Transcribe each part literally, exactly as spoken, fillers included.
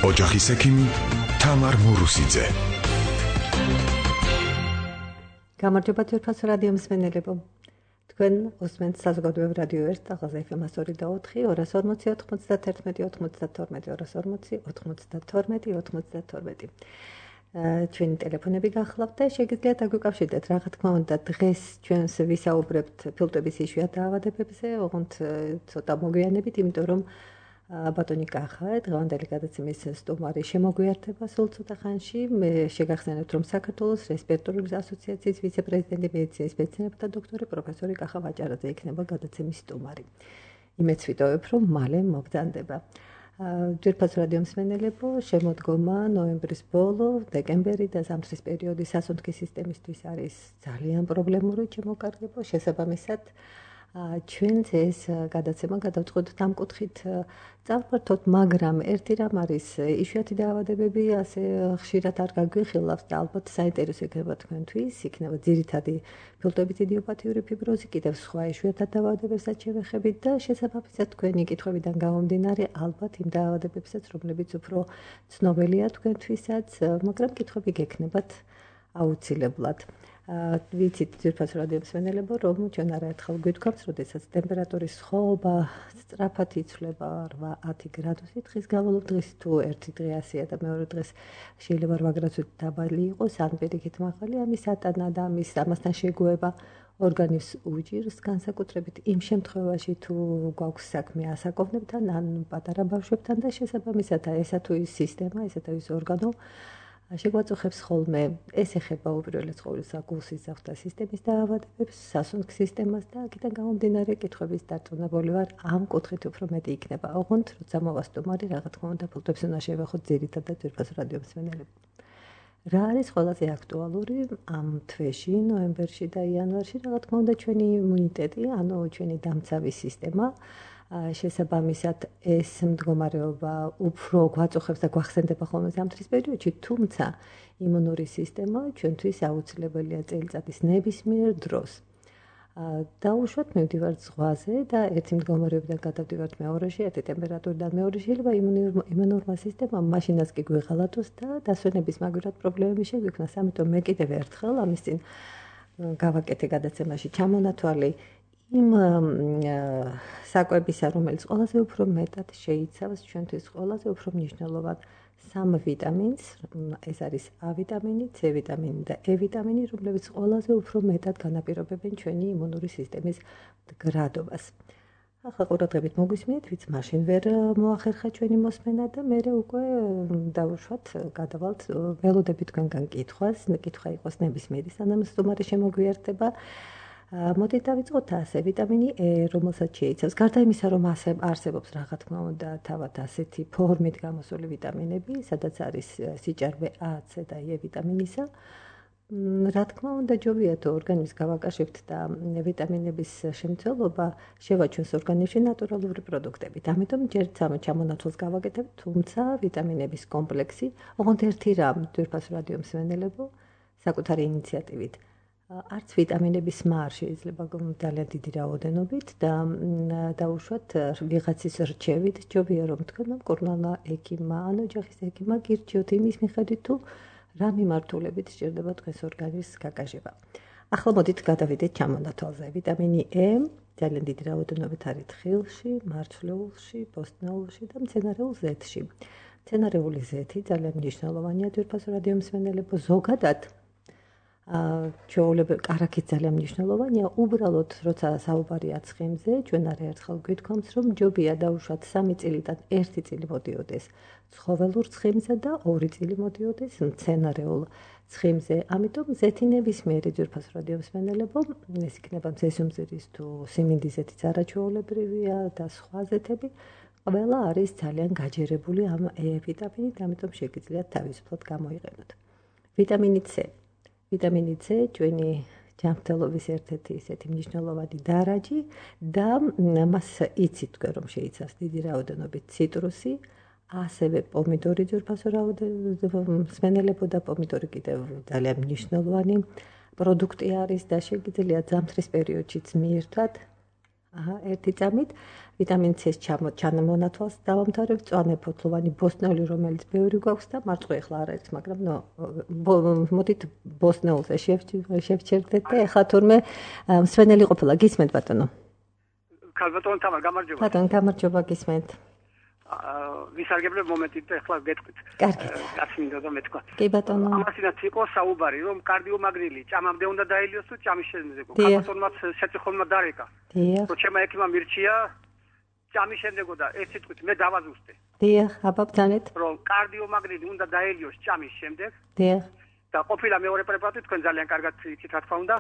ოჯახის ექიმი თამარ მურუსიძე. გამარჯობა თურქეთის რადიო მსმენელებო. თქვენ უსმენთ საზოგადოებრივ რადიო ერთ ტალღაზე ეფ ემ ორი და ოთხი, ორას ორმოცი, ოთხმოცდათერთმეტი, ოთხმოცდათორმეტი, ორას ორმოცი, ოთხმოცდათორმეტი, ოთხმოცდათორმეტი. ჩვენი ტელეფონები გახლავთ და შეგიძლიათ აგვიკავშირდეთ. რა თქმა უნდა, დღეს ჩვენს ვისაუბრებთ ფილტვების იშვიათ დაავადებებზე, ოღონდ ცოტა მოგვიანებით, იმიტომ რომ ბატონი კახა, დღევანდელი გადაცემის სტუმარი შემოგვიერთება სულ ცოტა ხანში. მე შეგახსენებთ, რომ საქართველოს რესპირატორული ასოციაციის ვიცე-პრეზიდენტი, მედიცინის მეცნიერებათა დოქტორი პროფესორი კახა ვაჭარაძე იქნება გადაცემის სტუმარი. იმედს ვიტოვებ, რომ მალე მოგზანდება. ძვირფას რადიო მსმენელებო, შემოდგომა ნოემბრის ბოლო, დეკემბერი და ზამთრის პერიოდი სასუნთქი სისტემისთვის არის ძალიან პრობლემური, ჩემო-კარგებო, შესაბამისად ჩვენც ეს გადაცემა გადავწყვეტთ ამ კუთხით წავფართოთ, მაგრამ ერთი რამ არის, იშვიათი დაავადებები ასე ხშირად არ გაგვიხილავს და ალბათ საინტერესო იქნება თქვენთვის, იქნება ძირითადი ფილტვებით იდიოპათიური ფიბროზი, კიდევ სხვა იშვიათად დაავადებებსაც შევეხებით და შესაბამისად თქვენი კითხვებიდან გამომდინარე, ალბათ იმ დაავადებებსაც, რომლებიც უფრო ცნობილია თქვენთვისაც, მაგრამ კითხვები გექნებათ აუცილებლად. ვიცით ძვირფას რადიო მსმენელებო, რომ ჩვენ არაერთხელ გვითქვამთ, როდესაც ტემპერატურის სხვაობა სწრაფად იცვლება რვა ათი გრადუსი დღის განმავლობაში, დღეს თუ ერთი დღე ასეა და მეორე დღეს შეიძლება რვა გრადუსით დაბალი იყოს, ან პირიქით მაღალი, ამის ატანა და ამის ამასთან შეგუება ორგანიზმს უჭირს, განსაკუთრებით იმ შემთხვევაში, თუ გვაქვს საქმე ასაკოვნებთან ან პატარა ბავშვებთან და შესაბამისად ესა თუ ის სისტემა, ესა თუ ის ორგანო შეგვაწუხებს ხოლმე. ეს ეხება უპირველეს ყოვლისა გულ-სისხლძარღვთა და სისტემის დაავადებებს, სასუნთქ სისტემას და აქედან გამომდინარე კითხვების დარწმუნებული ვარ, ამ კუთხით უფრო მეტი იქნება. ოღონდ როცა მოვა სტუმარი, რა თქმა უნდა, ფილტვებს უნდა შევეხოთ ძირითადად ძვირფას რადიო მსმენელები. რა არის ყველაზე აქტუალური ამ თვეში, ნოემბერში და იანვარში, რა თქმა უნდა, ჩვენი იმუნიტეტი, ანუ ჩვენი დამცავი სისტემა. შესაბამისად ეს მდგომარეობა უფრო გვაწუხებს და გვახსენდება ხოლმე ზამთრის პერიოდში, თუმცა იმუნური სისტემა ჩვენთვის აუცილებელია წელიწადის ნებისმიერ დროს. დაუშვათ მივდივართ ზღვაზე და ერთი მდგომარეობიდან გადავდივართ მეორეში, ერთი ტემპერატურიდან მეორე, შეიძლება იმუნურმა სისტემამ მაშინაც კი გვიღალატოს და დასვენების მაგვრად პრობლემები შეგვიქმნას. ამიტომ მე კიდევ ერთხელ ამის წინ გავაკეთე გადაცემაში ჩამონათვალი იმ საკვებისა, რომელიც ყველაზე უფრო მეტად შეიცავს ჩვენთვის ყველაზე უფრო მნიშვნელოვან სამ ვიტამინს, ეს არის ა ვიტამინი, C ვიტამინი და E ვიტამინი, რომლებიც ყველაზე უფრო მეტად განაპირობებენ ჩვენი იმუნური სისტემის მდგრადობას. ახლა ყურადღებით მოგვისმინეთ, ვიც მაშინ ვერ მოახერხა ჩვენი მოსმენა და მე უკვე დავუშვათ, გადავალთ, ველოდები თქვენგან კითხვას, კითხვა იყოს ნებისმიერი, სანამ სტუმარი შემოგვიერთება. მოდით დავიწყოთ ასე, ვიტამინი E, რომელსაც შეიცავს, გარდა იმისა, რომ არსებობს რა თქმა უნდა თავად ასეთი ფორმით გამოსული ვიტამინები, სადაც არის სიჭარბე A, C და E ვიტამინისა. რა თქმა უნდა, ჯობია თუ ორგანიზმს გავაკაშებთ და ვიტამინების შემცველობა შევაჩვენს ორგანიზმში ნატურალური პროდუქტებით. ამიტომ ჯერ ჩამონათვალს გავაკეთებ, თუმცა ვიტამინების კომპლექსი, ოღონდ ერთი რამ, ძვირფას რადიო მსმენელებო, საკუთარი ინიციატივით. არც ვიტამინების ხმა არ შეიძლება ძალიან დიდი რაოდენობით და დაუშვათ ვიღაცის რჩევით, ჯობია რომ თქვენ მკურნალმა ექიმმა ან ოჯახის ექიმმა გირჩიოთ იმის მიხედვით, თუ რა მიმართულებით სჭირდება დღეს ორგანიზმის გაკაშება. ახლა მოდით გადავიდეთ ჩამონათვალზე. ვიტამინი E ძალიან დიდი რაოდენობით არის თხილში, მარცვლეულში, ბოსტნეულში და მცენარეულ ზეთში. მცენარეული ზეთი ძალიან მნიშვნელოვანია ძვირფას რადიო მსმენელებო, ზოგადად ჩვეულებრივ კარაქით ძალიან მნიშვნელოვანია, უბრალოდ როცა საუბარია ცხიმზე, ჩვენ არაერთხელ გვითქვამს, რომ ჯობია დაუშვათ სამი წილიდან ერთი წილი მოდიოდეს ცხოველურ ცხიმზე და ორი წილი მოდიოდეს მცენარეულ ცხიმზე. ამიტომ ზეთი ნებისმიერი ძვირფას რადიო მსმენელებო, ეს იქნება მზესუმზირის თუ სიმინდის ზეთიც არაჩვეულებრივია და სხვა ზეთები, ყველა არის ძალიან გაჯერებული ამ E ვიტამინით, ამიტომ შეგიძლიათ თავისუფლად გამოიყენოთ. ვიტამინი C. ვიტამინი C ჩვენი ჯანმრთელობის ერთ-ერთი ისეთი მნიშვნელოვანი დარაჯი და მას იცით თქვენ რომ შეიცავს დიდი რაოდენობით ციტრუსი, ასევე პომიდორი ძვირფასო მსმენელებო და პომიდორი კიდევ ძალიან მნიშვნელოვანი პროდუქტი არის და შეგიძლიათ ზამთრის პერიოდშიც მიირთვათ ერთი წამით ვიტამინ C-ს ჩამონათვალს დავამთავრებ, მწვანე ფოთლოვანი ბოსტნეული, რომელიც ბევრი გვაქვს და მარწყვი ახლა არ არის, მაგრამ ნო მოდით ბოსტნეულზე შევჩერდეთ და ეხლა თურმე მსვენელი ყოფილა, გისმენთ ბატონო? ქალბატონო თამარ, გამარჯობა. ბატონო, გამარჯობა, გისმენთ. ვისარგებლებ მომენტით და ეხლა გეტყვით. კარგი. კაცი მინდა და მეთქვა. კი ბატონო. ამასინაც იყო საუბარი, რომ კარდიომაგნილი ჭამამდე უნდა დაელიოს თუ ჭამის შემდეგო. ქალბატონმაც საწიხონმა დარეკა. დიახ. რომ ჩემმა ექიმმა მირჩია ჭამის შემდეგო და ერთ სიტყვით მე დავაზუსტე. დიახ, აბა ბძანეთ. რომ კარდიომაგნილი უნდა დაელიოს ჭამის შემდეგ. დიახ. და ყოფილა მეორე პრეპარატი თქვენ ძალიან კარგად იცით რა თქმა უნდა.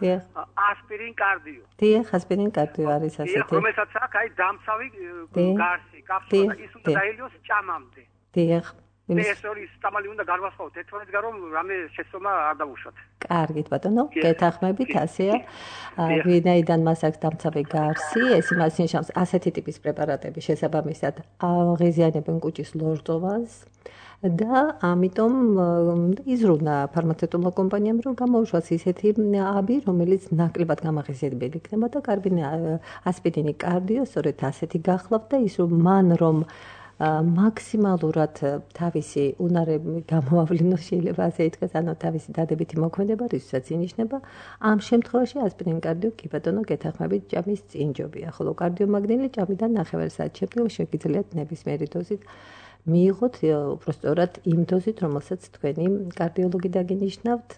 ასპირინ კარდიო. დიახ, ასპირინ კარდიო არის ასეთი. დიახ, რომელსაც აქვს აი დამცავი გარსი, კაფსულა და ის უნდა დაელიოს ჭამამდე. დიახ. ეს ორი სტამალი უნდა განვასხვაოთ ერთმანეთსგან, რომ რამე შეცდომა არ დავუშვათ. კარგით ბატონო, გეთახმებით, ასეა. ვინაიდან მას აქვს დამცავი გარსი, ეს იმას ნიშნავს, ასეთი ტიპის პრეპარატები შესაბამისად აღიზიანებენ კუჭის ლორწოვანს. და ამიტომ იზრუნა ფარმაცევტულმა კომპანიამ, რომ გამოუშვას ისეთი აბი, რომელიც ნაკლებად გამაღიზიანებელი იქნება და კარბინი ასპირინი კარდიო, სწორედ ასეთი გახლავთ და ის რომ მან რომ მაქსიმალურად თავისი უნარები გამოავლინოს, შეიძლება ასე ითქვას, ანუ თავისი დადებითი მოქმედება, რისთვისაც ინიშნება, ამ შემთხვევაში ასპირინ კარდიო კი ბატონო გეთახმებით ჭამის წინჯობია, ხოლო კარდიომაგნილი ჭამიდან ნახევარ საათის შემდგომ შეგიძლიათ ნებისმიერი დოზით მიიღოთ უბრალოდ იმ დოზით, რომელსაც თქვენი კარდიოლოგი დაგინიშნავთ,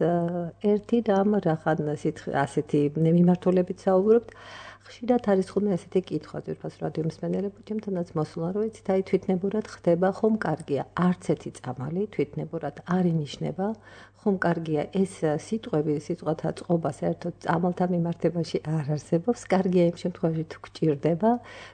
ერთი რამ რახან ასეთი მიმართულებით საუბრობთ, ხშირად არის ხოლმე ასეთი კითხვა ძვირფას რადიო მსმენელებო, ჩემთანაც მოსულა, რომ იცით, აი თვითნებურად ხდება, ხომ კარგია, არც ერთი წამალი თვითნებურად არ ინიშნება, ხომ კარგია ეს სიტყვები, სიტყვათა წყობა საერთოდ წამალთან მიმართებაში არ არსებობს, კარგია იმ შემთხვევაში თუ გჭირდება,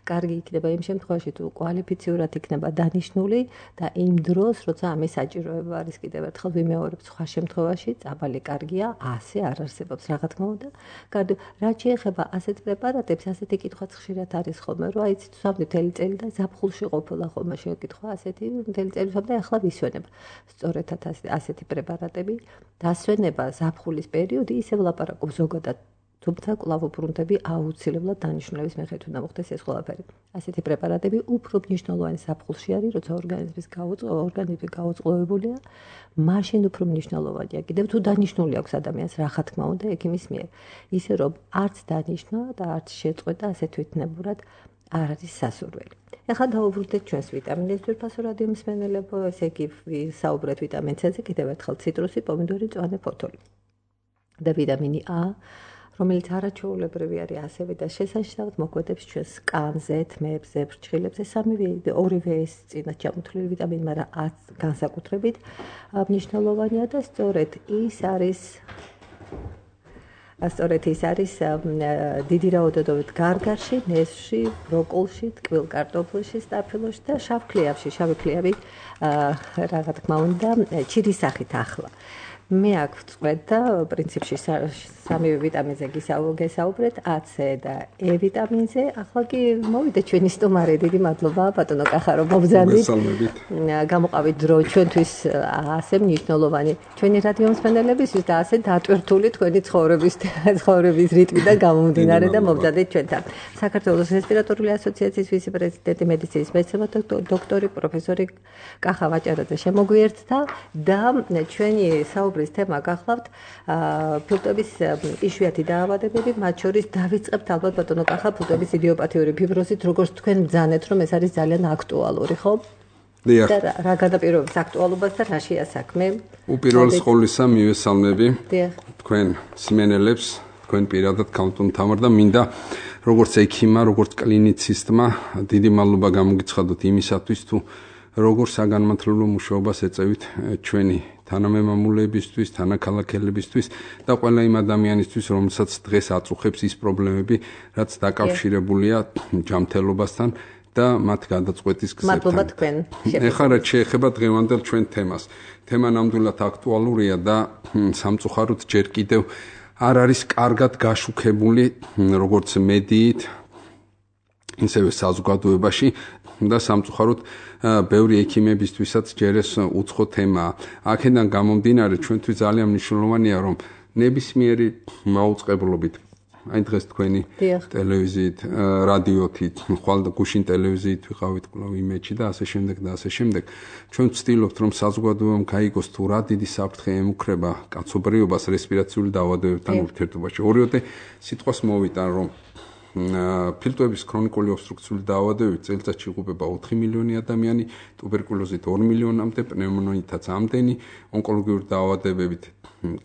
კარგი იქნება იმ შემთხვევაში თუ კვალიფიციურად იქნება დანიშნული და იმ დროს, როცა ამის საჭიროება არის, კიდევ ერთხელ ვიმეორებ, სხვა შემთხვევაში წამალი კარგია, ასე არ არსებობს, რა თქმა უნდა. კარგი, რაც შეეხება ასეთ პრეპარატებს, ასეთი კითხვაც ხშირად არის ხოლმე, რომ აი ცით სამდე მთელი წელი და ზაფხულში ყოფილა ხოლმე შეკითხვა ასეთი მთელი წელი და ახლა ვისვენება. სწორედად ასეთი პრეპარატები დასვენება ზაფხულის პერიოდი ისევ ლაპარაკობ ზოგადად, თუმცა კვლავ უბრუნდები აუცილებლად დანიშნულების მიხედვით უნდა მოხდეს ეს ყველაფერი. ასეთი პრეპარატები უფრო მნიშვნელოვანი ზაფხულში არის, როცა ორგანიზმის ორგანიზმი გაუწყლოებულია, მაშინ უფრო მნიშვნელოვანია. კიდევ თუ დანიშნული აქვს ადამიანს, რა თქმა უნდა, ექიმის მიერ. ისე რომ არც დანიშნა და არც შეწყვეტა ასე თვითნებურად არ არის სასურველი. ეხლა დავუბრუნდეთ ჩვენს ვიტამინებს, ძვირფასო რადიო მსმენელებო, ესე იგი ვისაუბრეთ ვიტამინ C-ზე, კიდევ ერთხელ ციტრუსი, პომიდორი, მწვანე ფოთოლი. და ვიტამინი A, რომელიც არაჩვეულებრივი არის ასევე და შესანიშნავად მოქმედებს ჩვენს კანზე, თმებზე, ფრჩხილებზე, სამივე ორივე ეს წინათ ჩამოთვლილი ვიტამინი, მაგრამ A განსაკუთრებით მნიშვნელოვანია და სწორედ ის არის სწორედ ის არის დიდი რაოდენობით გარგარში, ნესში, ბროკოლში, ტკბილ კარტოფილში, სტაფილოში და შავ ქლიავში, შავი ქლიავი რა თქმა უნდა, ჩირის სახით ახლა. მე აქ ვწყვეტ და პრინციპში სამივე ვიტამინზე გესაუბრეთ, A, C და E ვიტამინზე. ახლა კი მოვიდა ჩვენი სტუმარი, დიდი მადლობა ბატონო კახარო მობრძანდით. გამოყავით დრო ჩვენთვის ასე მნიშვნელოვანი ჩვენი რადიო მსმენელებისთვის და ასე დატვირთული თქვენი ცხოვრების ცხოვრების რიტმიდან გამომდინარე და მობრძანდით ჩვენთან. საქართველოს რესპირატორული ასოციაციის ვიცე-პრეზიდენტი, მედიცინის მეცნიერება დოქტორი პროფესორი კახა ვაჭარაძე შემოგვიერთდა და ჩვენი საუბრის თემა გახლავთ ფილტვების იშვიათი დაავადებები, მათ შორის დავიწყებთ ალბათ ბატონო კახა ფილტვების იდიოპათიური ფიბროზით, როგორც თქვენ ბრძანეთ, რომ ეს არის ძალიან აქტუალური, ხო? დიახ. და რა გადაპირობებს აქტუალობას და რა შეა საქმე? უპირველეს ყოვლისა მივესალმები დიახ. თქვენ მსმენელებს, თქვენ პირადად ქალბატონ თამარ და მინდა როგორც ექიმა, როგორც კლინიცისტმა დიდი მადლობა გამოგიცხადოთ იმისათვის თუ როგორ საგანმანათლებლო მუშაობას ეწევით ჩვენი თანამემამულეებისთვის, თანაქალაქელებისთვის და ყველა იმ ადამიანისთვის, რომელსაც დღეს აწუხებს ის პრობლემები, რაც დაკავშირებულია ჯანმრთელობასთან და მათ გადაწყვეტის გზებთან. მადლობა თქვენ. ეხლა რაც შეეხება დღევანდელ ჩვენ თემას. თემა ნამდვილად აქტუალურია და სამწუხაროდ ჯერ კიდევ არ არის კარგად გაშუქებული როგორც მედიით, ისევე საზოგადოებაში და სამწუხაროდ ბევრი ექიმებისთვისაც ჯერ ეს უცხო თემაა. აქედან გამომდინარე ჩვენთვის ძალიან მნიშვნელოვანია, რომ ნებისმიერი მაუწყებლობით აი დღეს თქვენი ტელევიზიით, რადიოთით, ხვალ გუშინ ტელევიზიით ვიყავით კვლავ იმეჩი და ასე შემდეგ და ასე შემდეგ. ჩვენ ვცდილობთ რომ საზოგადოებამ გაიგოს თუ რა დიდი საფრთხე ემუქრება კაცობრიობას რესპირაციული დაავადებებთან ურთიერთობაში. ორიოდე სიტყვას მოვიტან რომ ფილტვების ქრონიკული ობსტრუქციული დაავადებებით წელიწადში იღუპება ოთხი მილიონი ადამიანი, ტუბერკულოზით ორი მილიონამდე, პნევმონიითაც ამდენი, ონკოლოგიური დაავადებებით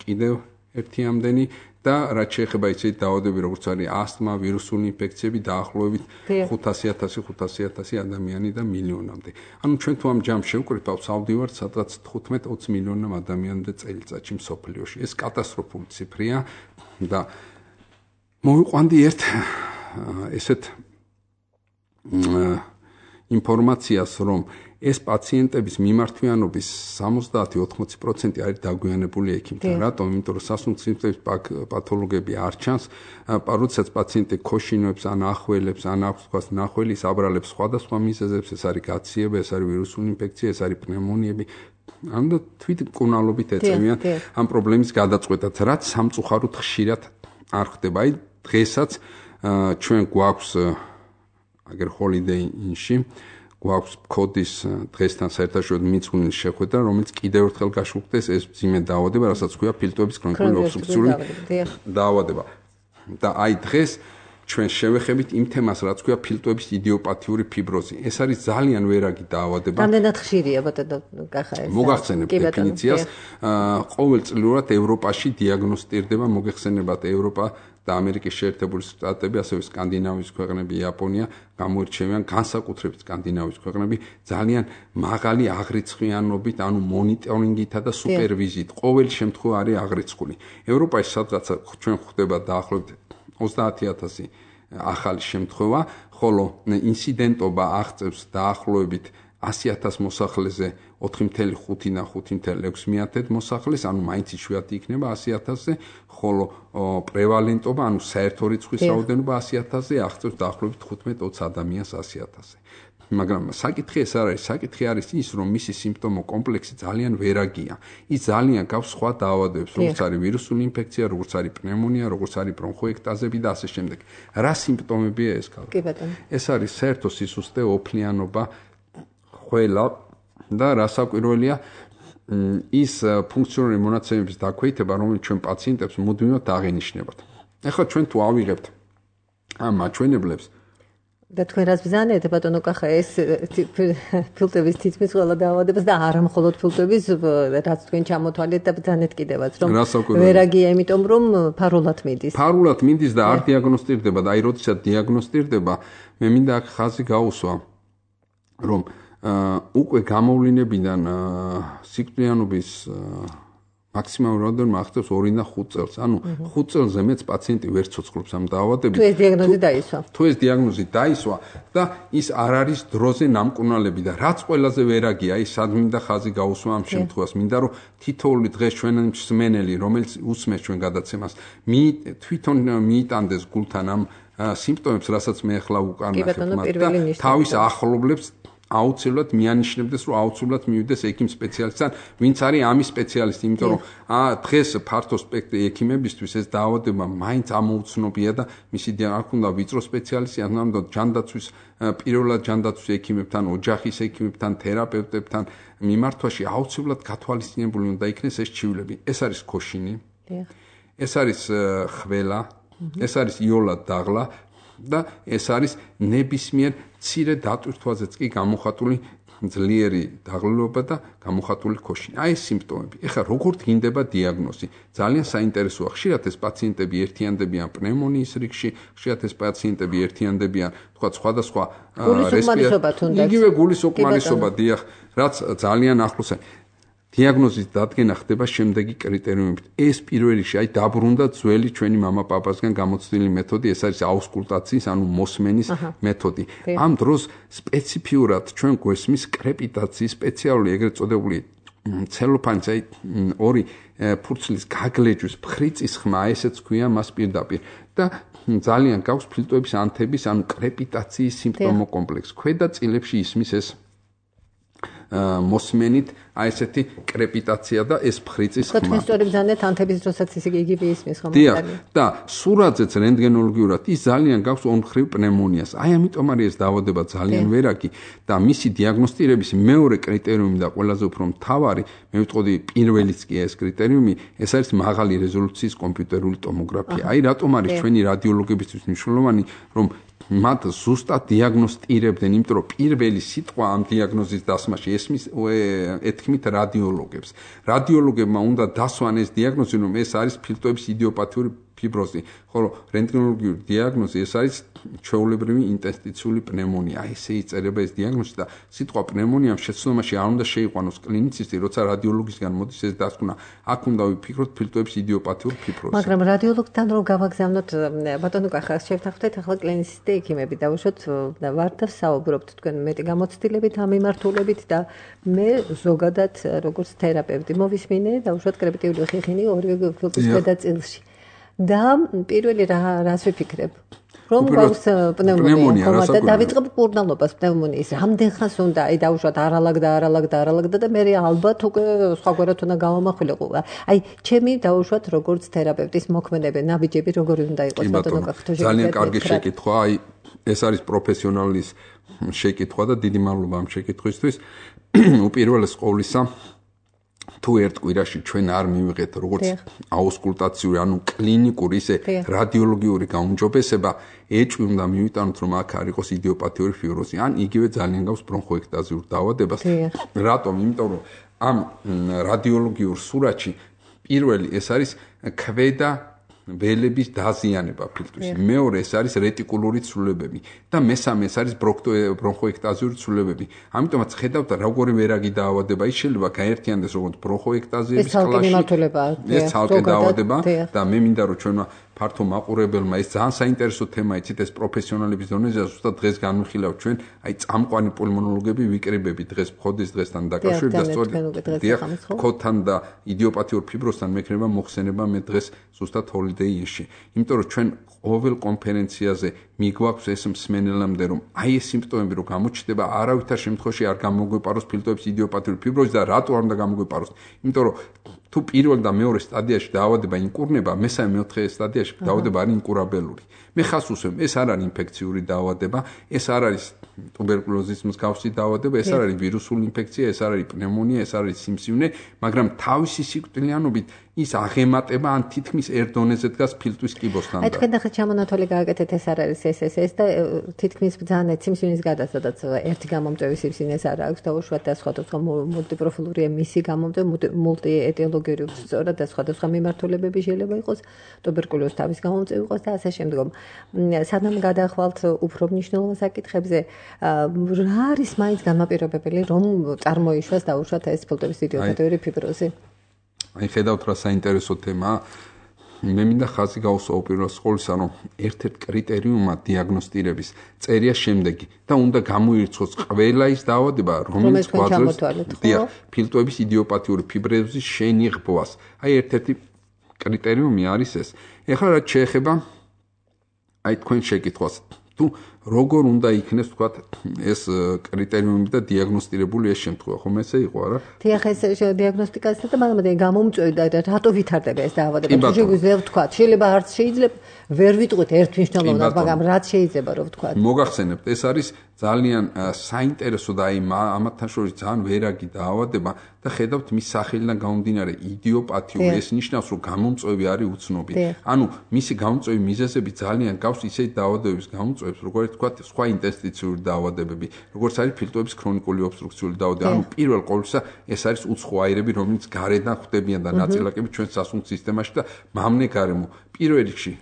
კიდევ ერთი ამდენი და რაც შეეხება ისეთი დაავადებები როგორც არის ასთმა, ვირუსული ინფექციები დაახლოებით ხუთასი ათასი ხუთასი ათასი ადამიანი და მილიონამდე. ანუ ჩვენ თუ ამ ჯამს შევკრიბავთ, ავდივართ სადღაც თხუთმეტ ოცი მილიონამ ადამიანამდე წელიწადში მსოფლიოში. ეს კატასტროფული ციფრია და მოვიყვანდი ერთ ესეთ ინფორმაციას, რომ ეს პაციენტების მიმართვიანობის სამოცდაათი ოთხმოცი პროცენტი არის დაგვიანებული ექიმთან. რატომ? იმიტომ რომ სასუნთქ სიმსტემის პათოლოგები არ ჩანს, როდესაც პაციენტი ქოშინობს, ან ახველებს, ან აქვს თქვას ნახველის აბრალებს სხვადასხვა მიზეზებს, ეს არის გაციება, ეს არის ვირუსული ინფექცია, ეს არის პნევმონიები. ანუ თვით მკურნალობით ეწევიან ამ პრობლემის გადაწყვეტად, რაც სამწუხაროდ ხშირად არ ხდება. აი დღესაც ჩვენ გვაქვს აგერ holiday inn-ში გვაქვს კოდის დღესთან საერთაშორისო მიძღვნილი შეხვედრა, რომელიც კიდევ ერთხელ გაშუქდეს ეს მძიმე დაავადება, რასაც ქვია ფილტვების ქრონიკული ობსტრუქციული დაავადება. და აი დღეს ჩვენ შევეხებით იმ თემას, რაც ქვია ფილტვების იდიოპათიური ფიბროზი. ეს არის ძალიან ვერაგი დაავადება. რამდენად ხშირია ბატონო კახა ეს? მოგახსენებთ დეფინიციას. ყოველწლიურად ევროპაში დიაგნოსტირდება, მოგეხსენებათ ევროპა და ამერიკის შეერთებული შტატები, ასევე სკანდინავიის ქვეყნები, იაპონია გამოირჩევიან, განსაკუთრებით სკანდინავიის ქვეყნები ძალიან მაღალი აღრიცხვიანობით, ანუ მონიტორინგითა და სუპერვიზიით. ყოველი შემთხვევა არის აღრიცხული. ევროპაში სადღაც ჩვენ ხვდება დაახლოებით ოცდაათი ათასი ახალი შემთხვევა, ხოლო ინციდენტობა აღწევს დაახლოებით ასი ათასი მოსახლეზე ოთხი ათეული ხუთი და ხუთი ათეული ექვსი მეათედ მოსახლეს, ანუ მაინც იშვიათი იქნება ასი ათასზე, ხოლო პრევალენტობა, ანუ საერთო რიცხვის რაოდენობა ასი ათასზე აღწევს დაახლოებით თხუთმეტ ოცი ადამიანს ასი ათასზე. მაგრამ საკითხი ეს არ არის, საკითხი არის ის, რომ მისი სიმპტომო კომპლექსი ძალიან ვერაგია. ის ძალიან გავს სხვა დაავადებებს, როგორც არის ვირუსული ინფექცია, როგორც არის პნევმონია, როგორც არის ბრონხოექტაზები და ასე შემდეგ. რა სიმპტომებია ეს ქალ? კი ბატონო. ეს არის საერთო სისუსტე, ოფლიანობა, ხველა და რასაკვირველია ის ფუნქციონალური მონაცემების დაქვეითება, რომელიც ჩვენ პაციენტებს მუდმივად აღინიშნებათ. ეხლა ჩვენ თუ ავიღებთ ამ მაჩვენებლებს და თქვენ რას ბრძანეთ ბატონო კახა ეს ფილტვების თითქმის ყველა დაავადებას და არა მხოლოდ ფილტვების, რაც თქვენ ჩამოთვალეთ და ბრძანეთ კიდევაც, რომ ვერაგია, იმიტომ რომ ფარულად მიდის. ფარულად მიდის და არ დიაგნოსტირდება და აი როდესაც დიაგნოსტირდება, მე მინდა აქ ხაზი გაუსვა, რომ უკვე გამოვლინებიდან სიკვდილიანობის მაქსიმალური რაოდენობა აღწევს ორი და ხუთ წელს. ანუ ხუთ წელზე მეც პაციენტი ვერ ცოცხლობს ამ დაავადებით. თუ ეს დიაგნოზი დაისვა. თუ ეს დიაგნოზი დაისვა და ის არ არის დროზე ნამკურნალები და რაც ყველაზე ვერაგია, ის სად მინდა ხაზი გაუსვა ამ შემთხვევას. მინდა რომ თითოეული დღეს ჩვენ მსმენელი, რომელიც უსმენს ჩვენ გადაცემას, თვითონ მიიტანდეს გულთან ამ სიმპტომებს, რასაც მე ახლა უკარნახებ მათ და თავის ახლობლებს აუცილებლად მიანიშნებდეს, რომ აუცილებლად მივიდეს ექიმ სპეციალისტთან, ვინც არის ამის სპეციალისტი, იმიტომ რომ დღეს ფართო სპექტრი ექიმებისთვის ეს დაავადება მაინც ამოუცნობია და მისი არ უნდა ვიწრო სპეციალისტი, არ უნდა ჯანდაცვის პირველად ჯანდაცვის ექიმებთან, ოჯახის ექიმებთან, თერაპევტებთან მიმართვაში აუცილებლად გათვალისწინებული უნდა იქნეს ეს ჩივლები. ეს არის ქოშინი, ეს არის ხველა, ეს არის იოლად დაღლა და ეს არის ნებისმიერ მცირე დატვირთვაზეც კი გამოხატული ძლიერი დაღლილობა და გამოხატული ქოშინი. აი ეს სიმპტომები. ეხლა როგორ დგინდება დიაგნოზი? ძალიან საინტერესოა. ხშირად ეს პაციენტები ერთიანდებიან პნევმონიის რიგში, ხშირად ეს პაციენტები ერთიანდებიან, თქვა სხვადასხვა იგივე გულის უკმარისობა, დიახ, რაც ძალიან ახლოსაა. დიაგნოზის დადგენა ხდება შემდეგი კრიტერიუმებით. ეს პირველ რიგში აი დაბრუნდა ძველი ჩვენი მამა-პაპასგან გამოცდილი მეთოდი, ეს არის აუსკულტაციის, ანუ მოსმენის მეთოდი. ამ დროს სპეციფიურად ჩვენ გვესმის კრეპიტაციის სპეციალური ეგრეთ წოდებული ცელოფანის აი ორი ფურცლის გაგლეჯვის ფრიწის ხმა, ესეც ქვია მას პირდაპირ და ძალიან გაქვს ფილტვების ანთების, ანუ კრეპიტაციის სიმპტომო კომპლექსი. ქვედა წილებში ისმის ეს მოსმენით აი ესეთი კრეპიტაცია და ეს ფხრიცის ხმა. თქვენ სწორი ბრძანეთ ანთების დროსაც ისე იგივე ისმის ხომ? დიახ, და სურათზეც რენტგენოლოგიურად ის ძალიან გაქვს ორმხრივ პნევმონიას. აი ამიტომ არის ეს დაავადება ძალიან ვერაგი და მისი დიაგნოსტირების მეორე კრიტერიუმი და ყველაზე უფრო მთავარი, მე ვიტყოდი პირველიც კი ეს კრიტერიუმი, ეს არის მაღალი რეზოლუციის კომპიუტერული ტომოგრაფია. აი რატომ არის ჩვენი რადიოლოგებისთვის მნიშვნელოვანი, რომ მათ ზუსტად დიაგნოსტირებდნენ, იმიტომ რომ პირველი სიტყვა ამ დიაგნოზის დასმაში ესმის ეთქმით რადიოლოგებს. რადიოლოგებმა უნდა დასვან ეს დიაგნოზი, რომ ეს არის ფილტვების იდიოპათიური ფიბროზი, ხოლო რენტგენოლოგიური დიაგნოზი ეს არის ჩვეულებრივი ინტერსტიციული პნევმონია. აი ესე იწერება ეს დიაგნოზი და სიტყვა პნევმონიამ შეცდომაში არ უნდა შეიყვანოს კლინიცისტი, როცა რადიოლოგისგან მოდის ეს დასკვნა. აქ უნდა ვიფიქროთ ფილტვების იდიოპათიურ ფიბროზი. მაგრამ რადიოლოგთან რომ გავაგზავნოთ, ბატონო კახა, შევთანხმდეთ ახლა კლინიცისტი ექიმები დავუშვოთ და ვართ და საუბრობთ თქვენ მეტი გამოცდილებით ამ მიმართულებით და მე ზოგადად როგორც თერაპევტი მოვისმინე დავუშვოთ კრეპიტიული ხიხინი ორივე ფილტვის გადაწილში. და პირველი რა რას ვიფიქრებ? რომ გვაქვს პნევმონია, ხომ და დავიწყებ კურნალობას პნევმონიის. რამდენ ხანს უნდა აი დავუშვათ არალაგდა, არალაგდა, არალაგდა და მე ალბათ უკვე სხვაგვარად უნდა გავამახვილიყო. აი ჩემი დავუშვათ როგორც თერაპევტის მოქმედება, ნაბიჯები როგორი უნდა იყოს ბატონო კახთო? ძალიან კარგი შეკითხვა. აი ეს არის პროფესიონალის შეკითხვა და დიდი მადლობა ამ შეკითხვისთვის. უპირველეს ყოვლისა თუ ერთ კვირაში ჩვენ არ მივიღეთ როგორც აუსკულტაციური, ანუ კლინიკური, ისე რადიოლოგიური გაუმჯობესება, ეჭვი უნდა მივიტანოთ, რომ აქ არ იყოს იდიოპათიური ფიბროზი, ან იგივე ძალიან გავს ბრონხოექტაზიურ დაავადებას. რატომ? იმიტომ რომ ამ რადიოლოგიურ სურათში პირველი ეს არის ქვედა ველების დაზიანება ფილტვის. მეორე ეს არის რეტიკულური ცვლილებები და მესამე ეს არის ბრონხოექტაზიური ცვლილებები. ამიტომაც ხედავთ როგორი ვერაგი დაავადება ის შეიძლება გაერთიანდეს როგორც ბრონხოექტაზიების კლასში. ეს ცალკე დაავადება და მე მინდა რომ ჩვენმა ფართო მაყურებელმა ეს ძალიან საინტერესო თემა იცით ეს პროფესიონალების დონეზე ზუსტად დღეს განვიხილავთ ჩვენ აი წამყვანი პულმონოლოგები ვიკრიბები დღეს მხოდის დღესთან დაკავშირებით და სწორედ ქოთან და იდიოპათიურ ფიბროზთან მექნება მოხსენება მე დღეს ზუსტად ჰოლიდეიში. იმიტომ რომ ჩვენ ყოველ კონფერენციაზე მიგვაქვს ეს მსმენელამდე რომ აი ეს სიმპტომები რო გამოჩნდება არავითარ შემთხვევაში არ გამოგვეპაროს ფილტვების იდიოპათიური ფიბროზი და რატო არ უნდა გამოგვეპაროს? იმიტომ რომ თუ პირველ და მეორე სტადიაში დაავადება ინკურნება, მესამე მეოთხე სტადიაში დაავადება არის ინკურაბელური. მე ხას უსვեմ, ეს არ არის ინფექციური დაავადება, ეს არ არის ტუბერკულოზის მსგავსი დაავადება, ეს არ არის ვირუსული ინფექცია, ეს არ არის პნევმონია, ეს არ არის სიმსივნე, მაგრამ თავისი სიკვდილიანობით ის აღემატება ან თითქმის ერთ დონეზე დგას ფილტვის კიბოსთან. აი თქვენ ახლა ჩამონათვალი გააკეთეთ, ეს არ არის ეს ეს ეს და თითქმის ბრძანეთ სიმსივნის გადასადაც ერთი გამომწვევი სიმსივნეს არ აქვს და უშუალოდ და სხვადასხვა მულტიპროფილური მისი გამომწვევი მულტიეტიოლოგიური სწორად და სხვადასხვა მიმართულებები შეიძლება იყოს, ტუბერკულოზი თავის გამომწვევი იყოს და ასე შემდგომ. სანამ გადახვალთ უფრო მნიშვნელოვან საკითხებზე, რა არის მაინც განმაპირობებელი, რომ წარმოიშვას და უშუალოდ ეს ფილტვების იდიოპათიური ფიბროზი? აი ხედავთ რა საინტერესო თემაა. მე მინდა ხაზი გავუსვა უპირველეს ყოვლისა, რომ ერთ-ერთ კრიტერიუმად დიაგნოსტირების წერია შემდეგი და უნდა გამოირჩოს ყველა ის დაავადება, რომელიც გვაძლევს ფილტვების იდიოპათიური ფიბროზის შენიღბვას. აი ერთ-ერთი კრიტერიუმი არის ეს. ეხლა რაც შეეხება აი თქვენ შეკითხვას, თუ როგორ უნდა იქნეს თქვა ეს კრიტერიუმები და დიაგნოსტირებული ეს შემთხვევა, ხომ ესე იყო არა? დიახ, ეს დიაგნოსტიკასა და მაგრამ გამომწვევი და რატო ვითარდება ეს დაავადება? თუ შეგვიძლია ვთქვა, შეიძლება არც შეიძლება ვერ ვიტყვით ერთ მნიშვნელოვნად, მაგრამ რაც შეიძლება რომ ვთქვა. მოგახსენებთ, ეს არის ძალიან საინტერესო და აი ამათთან შორის ძალიან ვერაგი დაავადება და ხედავთ მის სახელიდან გამომდინარე იდიოპათიური, ეს ნიშნავს რომ გამომწვევი არის უცნობი. ანუ მისი გამომწვევი მიზეზები ძალიან გავს ისეთი დაავადებების გამომწვევებს, როგორც თქვა სხვა ინტერსტიციული დაავადებები, როგორც არის ფილტვების ქრონიკული ობსტრუქციული დაავადება. ანუ პირველ ყოვლისა ეს არის უცხო აირები, რომელიც გარედან ხვდებიან და ნაწილაკები ჩვენ სასუნთქ სისტემაში და მამნე გარემო. პირველ რიგში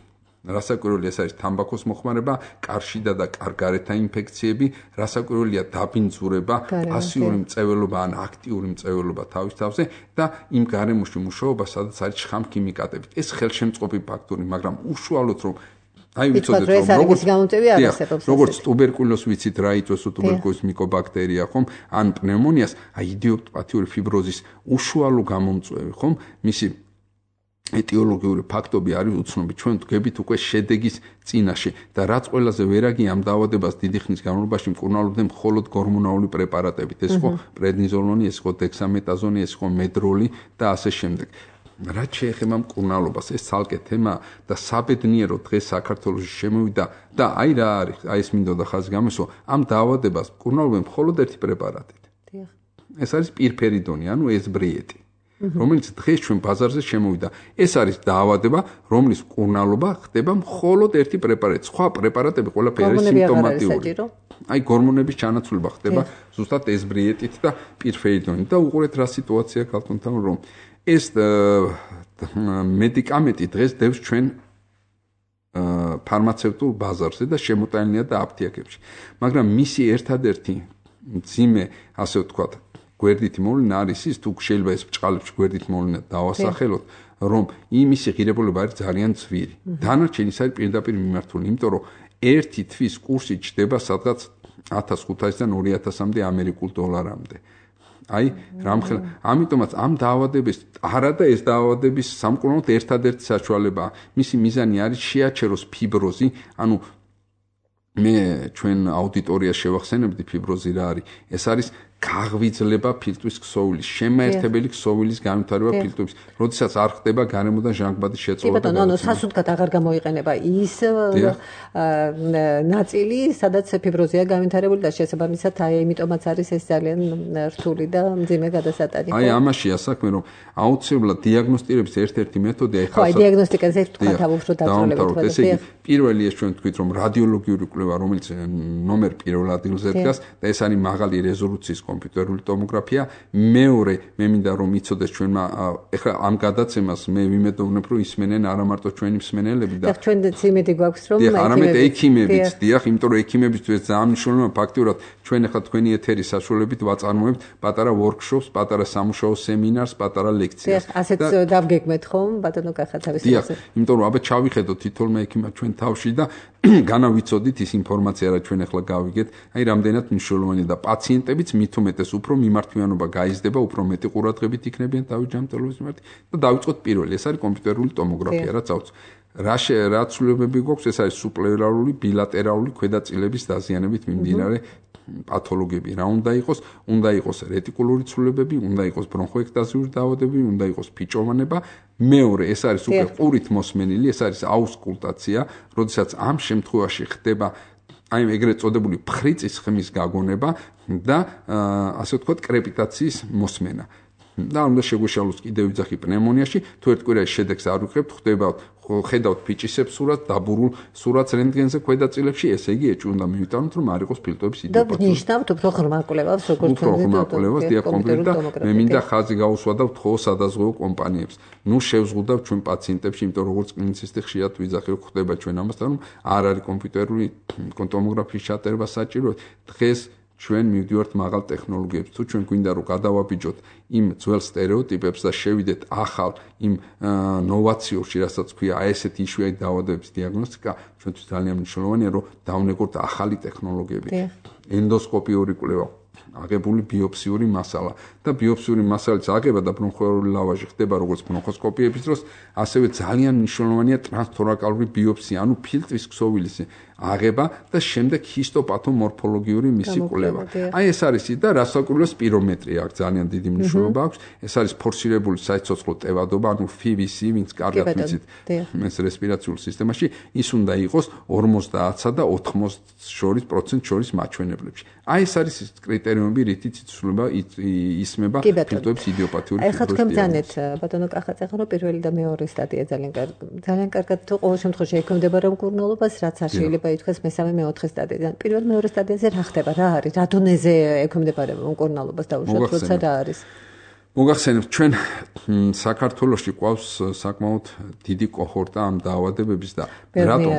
რასაკვირველია ეს არის თამბაქოს მოხმარება, კარშიდა და კარგარეთა ინფექციები, რასაკვირველია დაბინძურება, პასიური მწვერვალობა ან აქტიური მწვერვალობა თავის თავზე და იმ გარემოში მუშაობა, სადაც არის შხამქიმიკატები. ეს ხელშემწყობი ფაქტორი, მაგრამ უშუალოდ რომ აი ვიცოდეთ რომ როგორც გამომწვევი არ არსებობს. როგორც ტუბერკულოზს ვიცით რა იწვევს ტუბერკულოზის მიკობაქტერია, ხომ? ან პნევმონიას, აი იდიოპათიური ფიბროზის უშუალო გამომწვევი, ხომ? მისი ეტიოლოგიური ფაქტები არის უცნობი. ჩვენ ვდგებით უკვე შედეგის წინაშე და რაც ყველაზე ვერაგი ამ დაავადებას დიდი ხნის განმავლობაში მკურნალობდნენ მხოლოდ გორმონალური პრეპარატებით. ეს ხო პრედნიზოლონი, ეს ხო დექსამეტაზონი, ეს ხო მედროლი და ასე შემდეგ. რაც შეეხება მკურნალობას, ეს ცალკე თემა და საბედნიეროდ დღეს საქართველოში შემოვიდა და აი რა არის, აი ეს მინდოდა ხაზი გამოსვა, ამ დაავადებას მკურნალობენ მხოლოდ ერთი პრეპარატით. ეს არის პირფერიდონი, ანუ ესბრიეტი. რომელიც დღეს ჩვენ ბაზარზე შემოვიდა. ეს არის დაავადება, რომლის მკურნალობა ხდება მხოლოდ ერთი პრეპარატით. სხვა პრეპარატები ყველაფერი სიმპტომატიური. აი გორმონების ჩანაცვლება ხდება ზუსტად ესბრიეტით და პირფერიდონით და უყურეთ რა სიტუაცია ქალთუნთან, რომ ეს მედიკამენტი დღეს დევს ჩვენ ფარმაცევტულ ბაზარზე და შემოტანილია და აფთიაქებში. მაგრამ მისი ერთადერთი მძიმე, ასე ვთქვათ, გვერდითი მოვლენა არის ის, თუ შეიძლება ეს ბჭყალებში გვერდითი მოვლენა დავასახელოთ, რომ იმისი ღირებულება არის ძალიან ძვირი. დანარჩენი ის არის პირდაპირ მიმართული, იმიტომ რომ ერთი თვის კურსი ჩდება სადღაც ათას ხუთასიდან ორი ათასამდე ამერიკულ დოლარამდე. აი, რამხელა, ამიტომაც ამ დაავადების, არა და ეს დაავადების სამკურნალოდ ერთადერთი საშუალებაა. მისი მიზანი არის შეაჩეროს ფიბროზი, ანუ მე ჩვენ აუდიტორიას შევახსენებდი ფიბროზი რა არის. ეს არის გაღვიძლება ფილტვის ქსოვილის, შემაერთებელი ქსოვილის განვითარება ფილტვის, როდესაც არ ხდება გარემოდან ჟანგბადის შეწყვეტა. კი ბატონო, ანუ სასუდგად აღარ გამოიყენება ის ნაწილი, სადაც ფიბროზია განვითარებული და შესაბამისად აი იმიტომაც არის ეს ძალიან რთული და მძიმე გადასატანი. აი ამაშია საქმე, რომ აუცილებლად დიაგნოსტირების ერთ-ერთი მეთოდი აი ხალხს. ხო, დიაგნოსტიკაზე თქვათ უფრო დაწვრილებულად. ესე იგი, პირველი ეს ჩვენ თქვით, რომ რადიოლოგიური კვლევა, რომელიც ნომერ პირველ ადგილზე დგას და ეს არის მაღალი რეზოლუციის კომპიუტერული ტომოგრაფია. მეორე, მე მინდა რომ იცოდეს ჩვენმა ეხლა ამ გადაცემას მე ვიმედოვნებ რომ ისმენენ არა მარტო ჩვენი მსმენელები და ჩვენ იმედი გვაქვს რომ არამედ ექიმებიც, დიახ, იმიტომ რომ ექიმებისთვის ძალიან მნიშვნელოვანია ფაქტიურად ჩვენ ეხლა თქვენი ეთერის საშუალებით ვაწარმოებთ პატარა ვორქშოპს, პატარა სამუშაო სემინარს, პატარა ლექციას. დიახ, ასეც დავგეგმეთ ხომ, ბატონო კახათავის. დიახ, იმიტომ რომ აბა ჩავიხედოთ თითოეულმა ექიმმა ჩვენ თავში და განავიცოდით ის ინფორმაცია რა ჩვენ ახლა გავიგეთ, აი რამდენად მნიშვნელოვანია და პაციენტებიც მით უმეტეს უფრო მიმართვიანობა გაიზრდება, უფრო მეტი ყურადღებით იქნებიან თავის ჯანმრთელობის მიმართ და დავიწყოთ პირველი, ეს არის კომპიუტერული ტომოგრაფია, რაც აუც. რა რა ცვლილებები გვაქვს, ეს არის სუპლერალური ბილატერალური ქვედაწილების დაზიანებით მიმდინარე პათოლოგიები. რა უნდა იყოს? უნდა იყოს რეტიკულური ცვლილებები, უნდა იყოს ბრონხოექტაზიური დაავადებები, უნდა იყოს ფიჭოვანება. მეორე, ეს არის უკვე ყურით მოსმენილი, ეს არის აუსკულტაცია, როდესაც ამ შემთხვევაში ხდება აი ეგრეთ წოდებული ფრიცის ხმის გაგონება და ასე ვთქვათ კრეპიტაციის მოსმენა. და უნდა შეგვეშალოს კიდევ ვიძახი პნევმონიაში, თუ ერთ კვირაში შედეგს არ ვიღებთ, ხდება ხედავთ ფიჭისებს სურათს, დაბურულ სურათს რენტგენზე ქვედაწილებში, ესე იგი ეჭვი უნდა მივიტანოთ, რომ არ იყოს ფილტვების იდიოპათია. და ნიშნავთ უფრო ღრმა კვლევას, როგორც უფრო ღრმა კვლევას დიაგნოზით და მე მინდა ხაზი გაუსვა და ვთხოვ სადაზღვეო კომპანიებს. ნუ შევზღუდავთ ჩვენ პაციენტებში, იმიტომ რომ როგორც კლინიცისტი ხშირად ვიძახი, რომ ხდება ჩვენ ამასთან, რომ არ არის კომპიუტერული ტომოგრაფიის ჩატარება საჭირო. დღეს ჩვენ მივდივართ მაღალ ტექნოლოგიებს. თუ ჩვენ გვინდა რომ გადავაბიჯოთ იმ ძველ სტერეოტიპებს და შევიდეთ ახალ იმ ნოვაციურში, რასაც ქვია აი ესეთი იშვიათი დაავადებების დიაგნოსტიკა, ჩვენთვის ძალიან მნიშვნელოვანია, რომ დავნეგოთ ახალი ტექნოლოგიები. ენდოსკოპიური კვლევა, აღებული ბიოპსიური მასალა და ბიოპსიური მასალის აღება და ბრონხოალური ლავაჟი ხდება როგორც ბრონხოსკოპიების დროს, ასევე ძალიან მნიშვნელოვანია ტრანსთორაკალური ბიოპსია, ანუ ფილტვის ქსოვილის აღება და შემდეგ ჰისტოპათომორფოლოგიური მისი კვლევა. აი ეს არის და რასაკვირველია სპირომეტრია აქვს ძალიან დიდი მნიშვნელობა აქვს. ეს არის ფორსირებული საიცოცხლო ტევადობა, ანუ F I V C, ვინც კარგად ვიცით ეს რესპირაციულ სისტემაში, ის უნდა იყოს ორმოცდაათსა და ოთხმოცდას შორის პროცენტ შორის მაჩვენებლებში. აი ეს არის ის კრიტერიუმები, რითიც იცვლება ისმება ფილტვების იდიოპათიური ფიბროზი. ეხლა თქვენ ძანეთ ბატონო კახაძე, ხო რომ პირველი და მეორე სტადია ძალიან ძალიან კარგად თუ ყოველ შემთხვევაში ექვემდებარა მკურნალობას, რაც არ შეიძლება ითქვას მესამე მეოთხე სტადიიდან. პირველ მეორე სტადიაზე რა ხდება? რა არის? რა დონეზე ექვემდებარება მკურნალობას დაუშვათ, როცა რა არის? მოგახსენებთ, ჩვენ საქართველოში ყავს საკმაოდ დიდი კოჰორტა ამ დაავადებების და რატომ?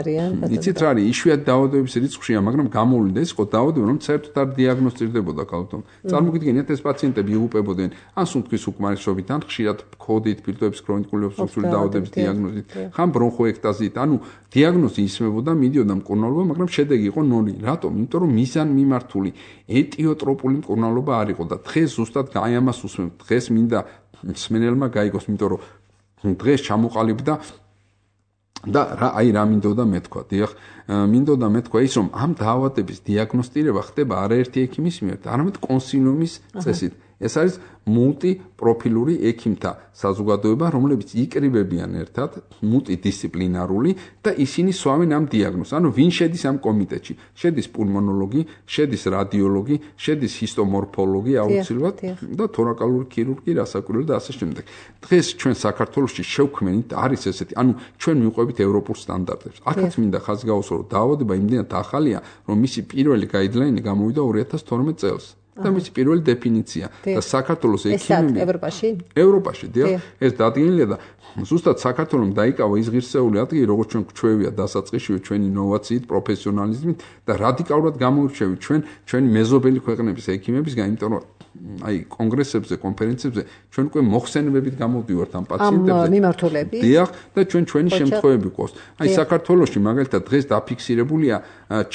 იცით რა არის? იშვიათი დაავადებების რიცხვია, მაგრამ გამოვლინდა ის ყო დაავადება, რომ საერთოდ არ დიაგნოსტირდებოდა ქალთომ. წარმოგიდგენიათ, ეს პაციენტები იღუპებოდნენ ან სუნთქვის უკმარისობით, ან ხშირად ქოდით, ფილტვების ქრონიკული ობსტრუქციული დაავადების დიაგნოზით, ხან ბრონხოექტაზით, ანუ დიაგნოზი ისმებოდა, მიდიოდა მკურნალობა, მაგრამ შედეგი იყო ნული. რატომ? იმიტომ რომ მიზან მიმართული ეტიოტროპული მკურნალობა არ იყო და დღეს ზუსტად აი ამას უსმენთ. დღეს მინდა მსმენელმა გაიგოს, იმიტომ რომ დღეს ჩამოყალიბდა და რა აი რა მინდოდა მეთქვა. დიახ, მინდოდა მეთქვა ის რომ ამ დაავადების დიაგნოსტირება ხდება არაერთი ექიმის მიერ, არამედ კონსილიუმის წესით. ეს არის მულტიპროფილური ექიმთა საზოგადოება, რომლებიც იკრიბებიან ერთად, მულტიდისციპლინარული და ისინი სვამენ ამ დიაგნოზს. ანუ ვინ შედის ამ კომიტეტში? შედის პულმონოლოგი, შედის რადიოლოგი, შედის ჰისტომორფოლოგი აუცილებლად და თორაკალური ქირურგი, რასაკვირველი და ასე შემდეგ. დღეს ჩვენ საქართველოში შევქმნით არის ესეთი, ანუ ჩვენ მივყვებით ევროპულ სტანდარტებს. აქაც მინდა ხაზი გავუსვა, რომ დაავადება იმდენად ახალია, რომ მისი პირველი გაიდლაინი გამოვიდა ორი ათას თორმეტ წელს. და მისი პირველი დეფინიცია და საქართველოს ექიმები ევროპაში ევროპაში დიახ ეს დადგენილია და ზუსტად საქართველოს დაიკავა ის ღირსეული ადგილი როგორც ჩვენ გვჩვევია დასაწყისშივე ჩვენი ინოვაციით პროფესიონალიზმით და რადიკალურად გამოირჩევით ჩვენ ჩვენი მეზობელი ქვეყნების ექიმებისგან იმიტომ რომ აი კონგრესებზე კონფერენციებზე ჩვენ უკვე მოხსენებებით გამოვდივართ ამ პაციენტებზე ამ მიმართულებით დიახ და ჩვენ ჩვენი შემთხვევები ყავს აი საქართველოში მაგალითად დღეს დაფიქსირებულია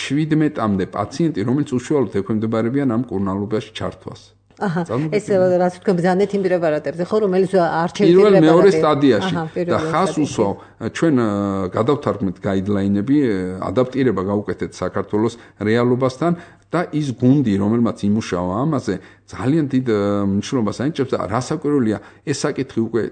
შვიდმეტამდე პაციენტი რომელიც უშუალოდ ექვემდებარებიან ამ კურნალობაში ჩართვას აჰა ეს რაც თქვენ ბრძანეთ იმ პრეპარატებზე ხო რომელიც არჩევით პირველ მეორე სტადიაში და ხას უსვავ ჩვენ გადავთარგმნით გაიდლაინები ადაპტირება გავუკეთეთ საქართველოს რეალობასთან და ის გუნდი რომელმაც იმუშავა ამაზე ძალიან დიდ მნიშვნელობას ანიჭებს და რასაკვირველია ეს საკითხი უკვე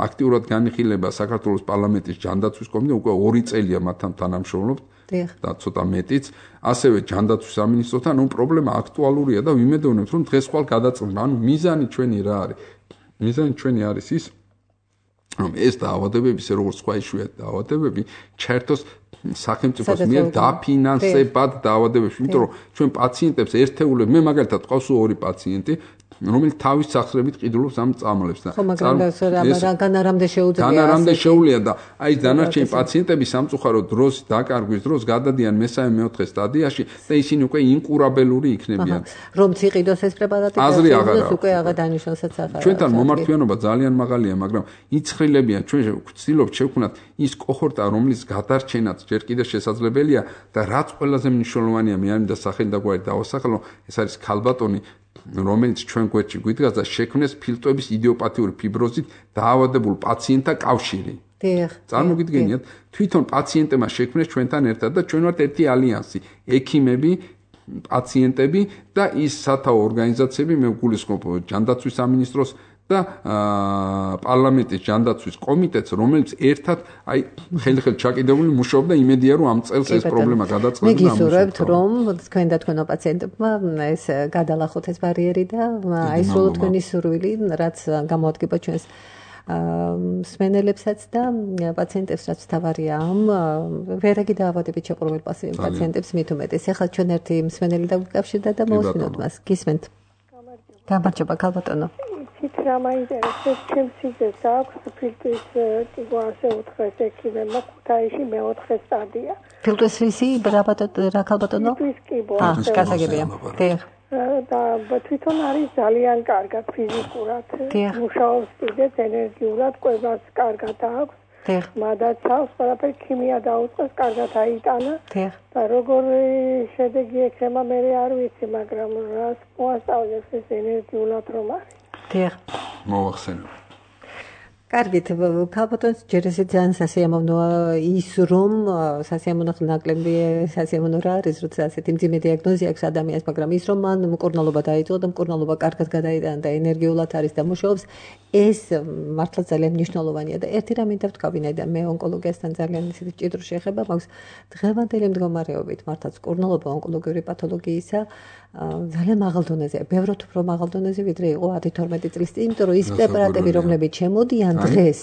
აქტიურად განიხილება საქართველოს პარლამენტის ჯანდაცვის კომიტეტში უკვე ორი წელია მათთან თანამშრომლობთ და ცოტა მეტიც ასევე ჯანდაცვის სამინისტროთან ნუ პრობლემა აქტუალურია და ვიმედოვნებთ რომ დღეს ხვალ გადაწყდება ანუ მიზანი ჩვენი რა არის მიზანი ჩვენი არის ის რომ ეს დაავადებები როგორც სხვა იშვიათი დაავადებები ჩაერთოს სახელმწიფოს მიერ დაფინანსებად დაავადებებში იმიტომ რომ ჩვენ პაციენტებს ერთეულებ მე მაგალითად ყავს ორი პაციენტი რომელიც თავის სახსრებით ყიდულობს ამ წამლებს და ხო მაგრამ რაგან არამდე შეუძლია ან არამდე შეუძლია და აი დანარჩენი პაციენტები სამწუხაროდ დროს დაკარგვის დროს გადადიან მესამე მეოთხე სტადიაში და ისინი უკვე ინკურაბელური იქნებიან რომ ციყიდოს ეს პრეპარატი და უკვე აღარ დანიშნულსაც აღარ ჩვენთან მომართვიანობა ძალიან მაღალია მაგრამ იცხრილებიან ჩვენ ვცდილობთ შევქმნათ ის კოჰორტა რომლის გადარჩენაც ჯერ კიდევ შესაძლებელია და რაც ყველაზე მნიშვნელოვანია მე არ მინდა სახელი და გვარი დავასახელო ეს არის ქალბატონი რომელიც ჩვენ გვერდში გვიდგას და შექმნეს ფილტვების იდიოპათიური ფიბროზით დაავადებულ პაციენტთა კავშირი. დიახ. წარმოგიდგენიათ, თვითონ პაციენტებმა შექმნეს ჩვენთან ერთად და ჩვენ ვართ ერთი ალიანსი, ექიმები, პაციენტები და ის სათაო ორგანიზაციები, მე ვგულისხმობ ჯანდაცვის სამინისტროს და პარლამენტის ჯანდაცვის კომიტეტს, რომელიც ერთად აი ხელი-ხელი ჩაკიდებული მუშაობდა იმედია რომ ამ წელს ეს პრობლემა გადაწყდება და ამუშავებთ. მე გისურვებთ რომ თქვენ და თქვენო პაციენტებმა ეს გადალახოთ ეს ბარიერი და აი სულ თქვენი სურვილი რაც გამოადგება ჩვენს მსმენელებსაც და პაციენტებს რაც თავარია ამ ვერაგი დაავადებით შეყრობილ პაციენტებს მით უმეტეს. ახლა ჩვენ ერთი მსმენელი დაგვიკავშირდა და მოვუსმინოთ მას. გისმენთ. გამარჯობა ქალბატონო. It's რა მაინტერესებს ჩემს სიძეს აქვს ფილტვის ტიპო ასე ოთხი ექიმებმა ქუთაისში მეოთხე სტადია. ფილტვის რისი რა ქალბატონო? ფილტვის კიბო. აა, გასაგებია. დიახ. და თვითონ არის ძალიან კარგად ფიზიკურად. მუშაობს კიდეც ენერგიულად, კვებას კარგად აქვს. დიახ. მადაცავს, ყველაფერი ქიმია დაუწყეს, კარგად აიტანა. დიახ. და როგორ შედეგი ექნება მე არ ვიცი, მაგრამ რას მოასწავლებს ეს ენერგიულად რომ არის. დიახ. მოახსენებ. კარგით, ქალბატონს ჯერ ესე ძალიან სასიამოვნოა ის რომ სასიამოვნო ნაკლები სასიამოვნო რა არის, როცა ასეთი მძიმე დიაგნოზი აქვს ადამიანს, მაგრამ ის რომ მან მკურნალობა დაიწყო და მკურნალობა კარგად გადაიტანა და ენერგიულად არის და მუშაობს, ეს მართლა ძალიან მნიშვნელოვანია და ერთი რამ მინდა ვთქვი და მე ონკოლოგიასთან ძალიან ისეთი ჭიდრო შეხება მაქვს დღევანდელი მდგომარეობით, მართლაც მკურნალობა ონკოლოგიური პათოლოგიისა ძალიან მაღალ დონეზეა, ბევრად უფრო მაღალ დონეზე ვიდრე იყო ათი თორმეტი წლის წინ, იმიტომ რომ ის პრეპარატები რომლებიც შემოდიან დღეს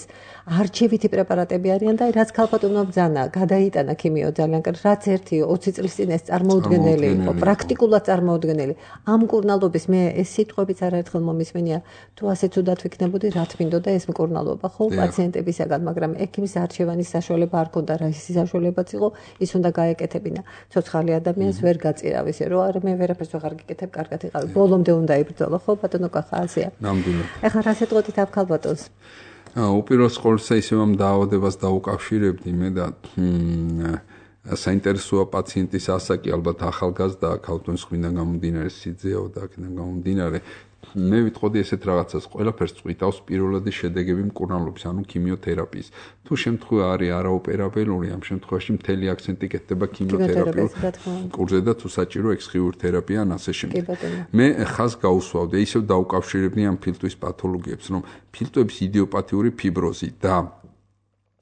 არჩევითი პრეპარატები არიან და რაც ქალბატონმა ბრძანა, გადაიტანა ქიმიო ძალიან კარგი, რაც ერთი ოცი წლის წინ ეს წარმოუდგენელი იყო, პრაქტიკულად წარმოუდგენელი. ამ მკურნალობის მე ეს სიტყვებიც არაერთხელ მომისმენია, თუ ასეც უდათ ვიქნებოდი, რა თმინდოდა ეს მკურნალობა, ხო, პაციენტებისაგან, მაგრამ ექიმის არჩევანის საშუალება არ ქონდა, რა ის საშუალებაც იყო, ის უნდა გაეკეთებინა. ცოცხალი ადამიანს ვერ გაწირავ ისე, რომ არა მე ვერაფერს აღარ გიკეთებ, კარგად იყავი. ბოლომდე უნდა იბრძოლო, ხო, ბატონო კახა ასეა. ნამდვილად. ეხლა რა შეტყოდით ამ ქალბატონს? უპირველეს ყოვლისა ისევ ამ დაავადებას დაუკავშირებდი მე და საინტერესოა პაციენტის ასაკი, ალბათ ახალგაზრდა, ქალთუნის ხვიდან გამომდინარე სიძეო და აქედან გამომდინარე მე ვიტყოდი ესეთ რაღაცას, ყველაფერს წვითავს პირველადი შედეგები მკურნალობის, ანუ ქიმიოთერაპიის. თუ შემთხვევა არის არაოპერაბელური, ამ შემთხვევაში მთელი აქცენტი კეთდება ქიმიოთერაპიულ კურსზე და თუ საჭირო ექსხიური თერაპია ან ასე შემდეგ. მე ხაზს გაუსვავდი, ისევ დაუკავშირებდი ამ ფილტვის პათოლოგიებს, რომ ფილტვების იდიოპათიური ფიბროზი და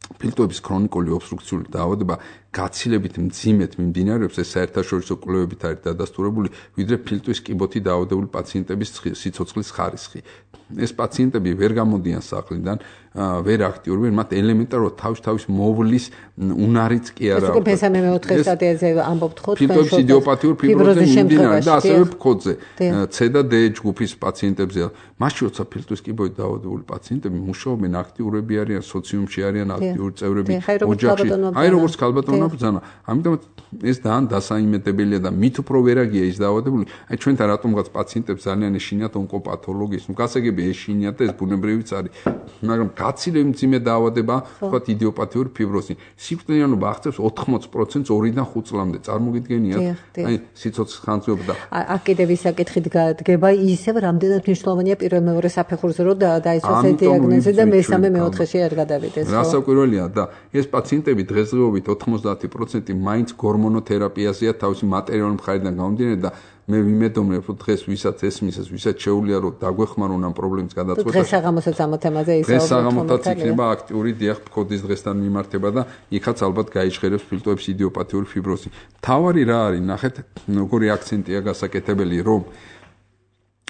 ფილტვების ქრონიკული ობსტრუქციული დაავადება გაცილებით მძიმედ მიმდინარეობს, ეს საერთაშორისო კვლევებით არის დადასტურებული, ვიდრე ფილტვის კიბოთი დაავადებული პაციენტების სიცოცხლის ხარისხი. ეს პაციენტები ვერ გამოდიან სახლიდან, ვერ აქტიურობენ, მათ ელემენტარულად თავის-თავის მოვლის უნარიც კი არა აქვს. ეს მესამე მეოთხე სტადიაზე ამბობთ ხო? ფილტვების იდიოპათიურ ფიბროზზე მიმდინარეობს და ასევე ფქოდზე, C და D ჯგუფის პაციენტებზე. მაშინ როცა ფილტვის კიბოთი დაავადებული პაციენტები მუშაობენ, აქტიურები არიან, სოციუმში არიან აქტიური წევრები, ოჯახში. აი როგორც ქალბატონო ბრძანა. ამიტომ ეს ძალიან დასაიმედებელია და მით უფრო ვერაგია ის დაავადებული. აი ჩვენთან რატომღაც პაციენტებს ძალიან ეშინიათ ონკოპათოლოგიის. ნუ გასაგები ეშინიათ და ეს ბუნებრივიც არის. მაგრამ გაცილებით მძიმე დაავადება, თქვათ იდიოპათიური ფიბროზი. სიკვდილიანობა აღწევს ოთხმოცი პროცენტს ორიდან ხუთ წლამდე. წარმოგიდგენიათ? აი სიცოცხლის ხანძრობა და აქ კიდევ ის საკითხი დგება, ისევ რამდენად მნიშვნელოვანია პირველ მეორე საფეხურზე რომ დაიცვას ეს დიაგნოზი და მესამე მეოთხეში არ გადავიდეს. რასაკვირველია და ეს პაციენტები დღესდღეობით ოთხმოცდაათი პროცენტი მაინც გორმონოთერაპიაზეა თავისი მატერიალური მხრიდან გამომდინარე და მე ვიმედოვნებ რომ დღეს ვისაც ესმის ეს ვისაც შეუძლია რომ დაგვეხმარონ ამ პრობლემის გადაწყვეტაში. დღეს საღამოსაც ამ თემაზე ისაუბრებთ. დღეს საღამოთაც იქნება აქტიური დიახ ფქოდის დღესთან მიმართება და იქაც ალბათ გაიჟღერებს ფილტვების იდიოპათიური ფიბროზი. თავარი რა არის? ნახეთ როგორი აქცენტია გასაკეთებელი რომ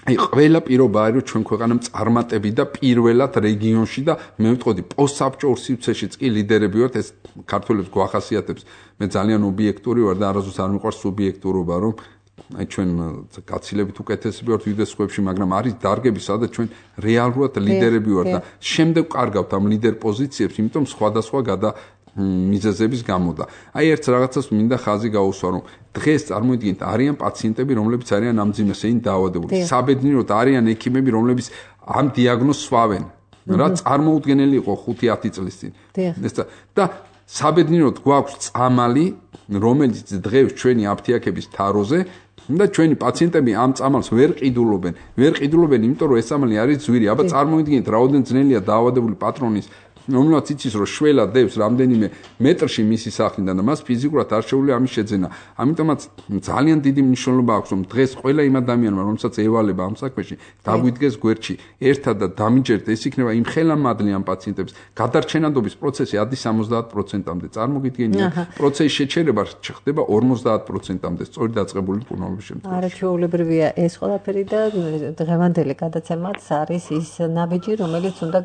აი ყველა პირობა არის რომ ჩვენ ქვეყანამ წარმატები და პირველად რეგიონში და მე ვიტყოდი პოსტსაბჭოურ სივრცეშიც კი ლიდერები ვართ, ეს ქართველებს გვახასიათებს. მე ძალიან ობიექტური ვარ და არასდროს არ მიყვარს სუბიექტურობა, რომ აი ჩვენ გაცილებით უკეთესები ვართ ვიდრე სხვებში, მაგრამ არის დარგები, სადაც ჩვენ რეალურად ლიდერები ვართ და შემდეგ კარგავთ ამ ლიდერ პოზიციებს, იმიტომ სხვადასხვა გადა მიზეზების გამო და აი ერთ რაღაცას მინდა ხაზი გაუსვა, რომ დღეს წარმოიდგინეთ არიან პაციენტები, რომლებიც არიან ამ მძიმესეინ დაავადებული. საბედნიეროდ არიან ექიმები, რომლებიც ამ დიაგნოზს სვავენ. რა წარმოუდგენელი იყო ხუთი ათი წლის წინ. და საბედნიეროდ გვაქვს წამალი, რომელიც დღეს ჩვენი აფთიაქების თაროზე და ჩვენი პაციენტები ამ წამალს ვერ ყიდულობენ. ვერ ყიდულობენ, იმიტომ რომ ეს წამალი არის ძვირი. აბა წარმოიდგინეთ, რაოდენ ძნელია დაავადებული პატრონის რომელსაც იცის რომ შველა დევს რამდენიმე მეტრში მისი სახლიდან და მას ფიზიკურად არ შეუძლია ამის შეძენა. ამიტომაც ძალიან დიდი მნიშვნელობა აქვს რომ დღეს ყველა იმ ადამიანმა რომელსაც ევალება ამ საქმეში დაგვიდგეს გვერდში ერთად და დამიჯერდეთ, ეს იქნება იმ ხელამადლი ამ პაციენტებს. გადარჩენადობის პროცესი ადის სამოცდაათ პროცენტამდე. წარმოგიდგენია, პროცესის შეჩერება ხდება ორმოცდაათ პროცენტამდე სწორი დაწყებული მკურნალობის შემთხვევაში. არა ჩვეულებრივია ეს ყველაფერი და დღევანდელი გადაცემაც არის ის ნაბიჯი, რომელიც უნდა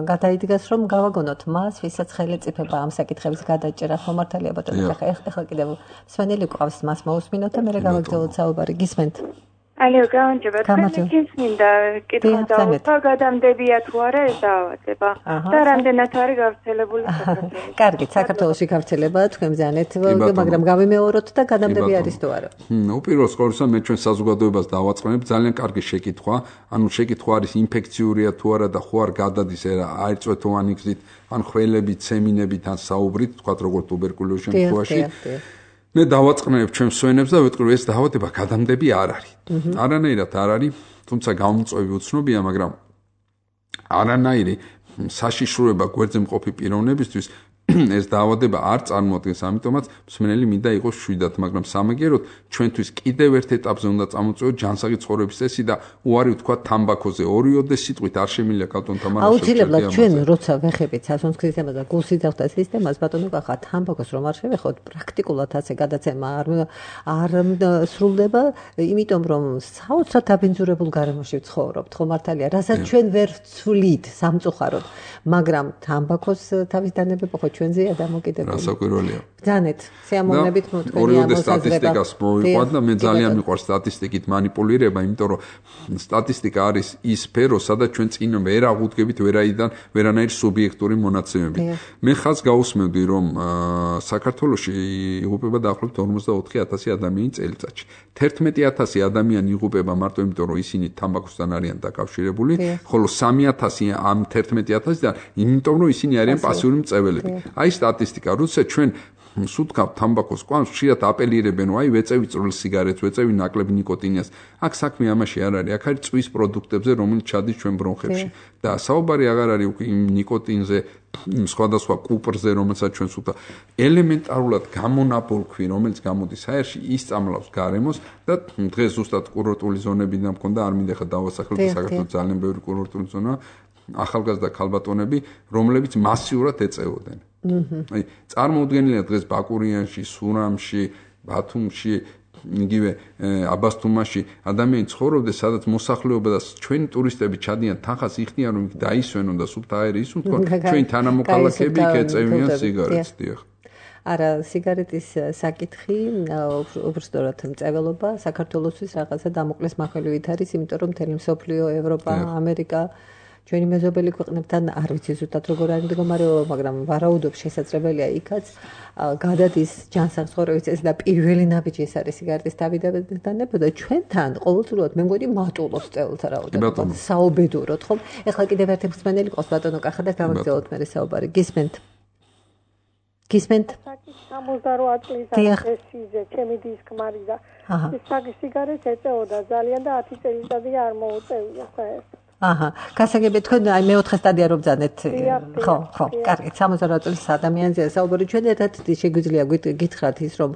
გადაიდგას რომ გავაგონოთ მას, ვისაც ხელეწიფება ამ საკითხების გადაჭერა ხომ მართალია ბატონო, ახლა კიდევ სვენელი ყავს მას მოусმინოთ და მე გავაგზავნოთ საუბარი. გისმენთ? ალო, გამარჯობა. თქვენ მინდა კითხვა დავუწყო, გადამდებია თუ არა ეს დაავადება და რამდენად არის გავრცელებული საქართველოში? კარგი, საქართველოში გავრცელება თქვენ ბრძანეთ, მაგრამ გავიმეოროთ და გადამდები არის თუ არა? უპირველეს ყოვლისა მე ჩვენ საზოგადოებას დავაწყენებ ძალიან კარგი შეკითხვა, ანუ შეკითხვა არის ინფექციურია თუ არა და ხო არ გადადის აირწვეთოვანი გზით, ან ხველებით, სემინებით, ან საუბრით, თქვათ როგორ ტუბერკულოზის შემთხვევაში. მე დავაწყნებ ჩვენ სვენებს და ვიტყვი ეს დაავადება გადამდები არ არის. არანაირად არ არის, თუმცა გამომწვევი უცნობია, მაგრამ არანაირი საშიშროება გვერდზე მყოფი პიროვნებისთვის ეს დაავადება არ წარმოადგენს, ამიტომაც მსმენელი მინდა იყოს შვიდად, მაგრამ სამაგიეროდ ჩვენთვის კიდევ ერთ ეტაპზე უნდა წამოწევოთ ჯანსაღი ცხოვრების წესი და უარი ვთქვა თამბაქოზე. ორიოდე სიტყვით არ შემიძლია კალტონ თამარას. აუცილებლად ჩვენ როცა ვეხებით სასუნთქის სისტემას და გულსიძახთა სისტემას, ბატონო კახა, თამბაქოს რომ არ შევეხოთ, პრაქტიკულად ასე გადაცემა არ არ სრულდება, იმიტომ რომ საოცრად დაბინძურებულ გარემოში ვცხოვრობთ, ხო მართალია, რასაც ჩვენ ვერ ვცვლით სამწუხაროდ, მაგრამ თამბაქოს თავის დანებება ხო ჩვენზეა დამოკიდებული. რასაკვირველია. ბრძანეთ, სიამოვნებით მოთქვენია ორიოდე სტატისტიკას მოვიყვანთ და მე ძალიან მიყვარს სტატისტიკით манипуლირება, იმიტომ რომ სტატისტიკა არის ის სფერო, სადაც ჩვენ წინ ვერ აღუდგებით ვერაიდან ვერანაირ სუბიექტური მონაცემებით. მე ხაზს გაუსმევდი, რომ საქართველოში იღუპება დაახლოებით ორმოცდაოთხი ათასი ადამიანი წელიწადში. თერთმეტი ათასი ადამიანი იღუპება მარტო იმიტომ, რომ ისინი თამბაქოსთან არიან დაკავშირებული, ხოლო სამი ათასი ამ თერთმეტი ათასიდან იმიტომ, რომ ისინი არიან პასიური მწებელები. აი სტატისტიკა, როცა ჩვენ სუთქავ თამბაქოს კვანს ხშირად აპელირებენ, აი ვეწევი წვრილ სიგარეტს, ვეწევი ნაკლებ ნიკოტინიას. აქ საქმე ამაში არ არის, აქ არის წვის პროდუქტებზე, რომელიც ჩადის ჩვენ ბრონხებში. და საუბარი აღარ არის უკვე იმ ნიკოტინზე, სხვადასხვა კუპრზე, რომელსაც ჩვენ სუთა ელემენტარულად გამონაბოლქვი, რომელიც გამოდის აერში, ისწამლავს გარემოს და დღეს ზუსტად კურორტული ზონებიდან მქონდა, არ მინდა ხა დავასახლებ, საქართველოს ძალიან ბევრი კურორტული ზონაა, ახალგაზრდა ქალბატონები, რომლებიც მასიურად ეწეოდნენ. აი, წარმოუდგენელია დღეს ბაკურიანში, სურამში, ბათუმში, იგივე აბასთუმაში ადამიანი ცხოვრობდეს, სადაც მოსახლეობა და ჩვენი ტურისტები ჩადიან თანხას იხდიან, რომ დაისვენონ და სუფთა აერი ისუნთქონ, ჩვენი თანამოქალაქეები იქ ეწევიან სიგარეტს, დიახ. არა, სიგარეტის საკითხი, უბრალოდ მწეველობა საქართველოსთვის რაღაცა დამოკლეს მახვილივით არის, იმიტომ რომ მთელი მსოფლიო, ევროპა, ამერიკა ჩვენი მეზობელი ქვეყნებთან არ ვიცი ზუსტად როგორ არის მდგომარეობა, მაგრამ ვარაუდობ შესაძლებელია იქაც გადადის ჯანსაღწორების ეს და პირველი ნაბიჯი ეს არის სიგარეტის დავიდანებოდა და ჩვენთან ყოველწლიურად მე მგონი მატულობს წელს რაოდენობა საუბედუროთ ხომ? ეხლა კიდევ ერთი მსმენელი ყავს ბატონო კახა და გავაგზავნოთ მე საუბარი. გისმენთ? გისმენთ? სამოცდაოთხ წლის ასიზე, ჩემი დისკმარი და ეს სიგარეტს ეწეოდა ძალიან და ათი წელიწადი არ მოუწევია საერთოდ. აჰა, გასაგები თქვენ აი მეოთხე სტადია რომ ბძანეთ. ხო, ხო, კარგი, სამოცდაოთხ წლის ადამიანზეა საუბარი. ჩვენ ერთად შეგვიძლია გითხრათ ის რომ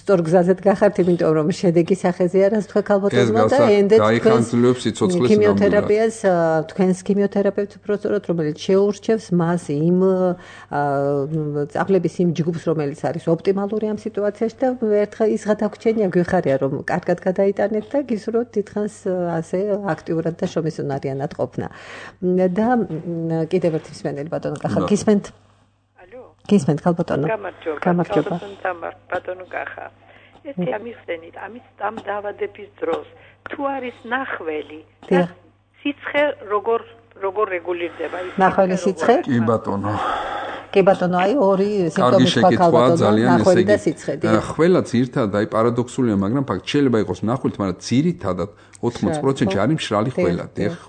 სწორ გზაზეთ გახართ, იმიტომ რომ შედეგი სახეზე არის თქვენ ქალბატონმა და ენდეთ გაიხანძულებს სიცოცხლის ქიმიოთერაპიას, თქვენს ქიმიოთერაპევტს უბრალოდ რომელიც შეურჩევს მას იმ წაბლების იმ ჯგუფს რომელიც არის ოპტიმალური ამ სიტუაციაში და ერთხელ ის გადაგჩენია გვიხარია რომ კარგად გადაიტანეთ და გისურვებთ თითქოს ასე აქტიურად და შრომისუნარიან ყოფნა. და კიდევ ერთი მსმენელი ბატონო კახა გისმენთ? ალო? გისმენთ ქალბატონო? გამარჯობა. გამარჯობა. ბატონო კახა. ესე ამიხსენით, ამის ამ დაავადების დროს თუ არის ნახველი და სიცხე როგორ როგორ რეგულირდება ის? ნახველი სიცხე? კი ბატონო. კი ბატონო, აი ორი სიმპტომი თქვა ქალბატონო, ნახველი და სიცხე. ხველა ძირითადად აი პარადოქსულია, მაგრამ ფაქტ შეიძლება იყოს ნახვილთ, მაგრამ ძირითადად ოთხმოცი პროცენტი არის მშრალი ხველა.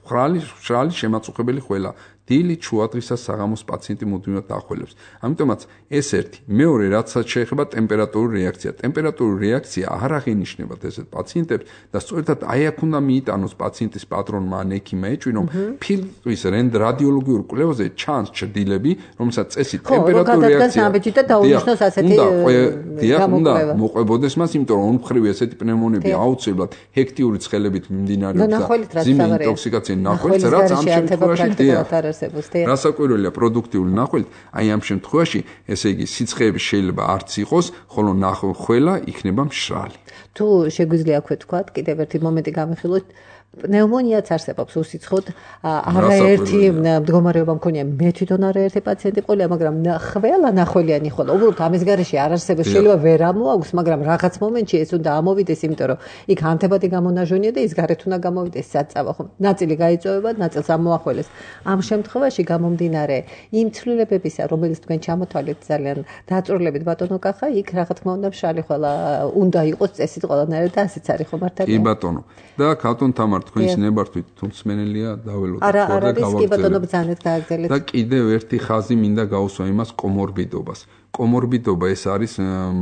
ხვრალი მშრალი შემაწუხებელი ხველა. დილი ჩუადღისას საღამოს პაციენტი მუდმივად დაახველებს. ამიტომაც ეს ერთი, მეორე რაცაც შეეხება ტემპერატურული რეაქცია. ტემპერატურული რეაქცია არ აღინიშნებათ ესეთ პაციენტებს და სწორედ აი აქ უნდა მიიტანოს პაციენტის პატრონმა ან ექიმმა ეჭვი, რომ ფილტვის რადიოლოგიურ კვლევაზე ჩანს ჩრდილები, რომელსაც წესით ტემპერატურული რეაქცია და დაუნიშნოს ასეთი უნდა მოყვებოდეს მას, იმიტომ რომ ორმხრივი ესეთი პნევმონები აუცილებლად ჰექტიური ცხელებით მიმდინარეობს და ძიმე ინტოქსიკაცია ნახველს, რაც ამ შემთხვევაში რასაკვირველია პროდუქტიული ნახველით, აი ამ შემთხვევაში, ესე იგი, სიცხეები შეიძლება არც იყოს, ხოლო ნახველა იქნება მშრალი. თუ შეგვიძლია აქვე თქვა, კიდევ ერთი მომენტი გამიხილოთ, პნევმონიაც არსებობს უსიცხოდ, არაერთი მდგომარეობა მქონია, მე თვითონ არაერთი პაციენტი ყოლია, მაგრამ ხველა ნახველიანი ხოლო, უბრალოდ ამის გარეშე არ არსებობს, შეიძლება ვერ ამოაქვს, მაგრამ რაღაც მომენტში ეს უნდა ამოვიდეს, იმიტომ რომ იქ ანთებადი გამონაჟონია და ის გარეთ უნდა გამოვიდეს საწავა, ხო? ნაწილი გაიწოვება, ნაწილს ამოახველეს. ამ შემთხვევაში გამომდინარე იმ ცვლილებებისა, რომელიც თქვენ ჩამოთვალეთ ძალიან დაწვრილებით ბატონო კახა, იქ რა თქმა უნდა მშრალი ხველა უნდა იყოს წესით ყველანაირად და ასეც არის ხო მართალია? კი ბატონო. და ქალბატონ თამარ თქვენს ნებართვით თუმცმენელია დაველოდოთ ხო და გავაგზავნეთ. და კიდევ ერთი ხაზი მინდა გაუსვა იმას კომორბიდობას. კომორბიდობა ეს არის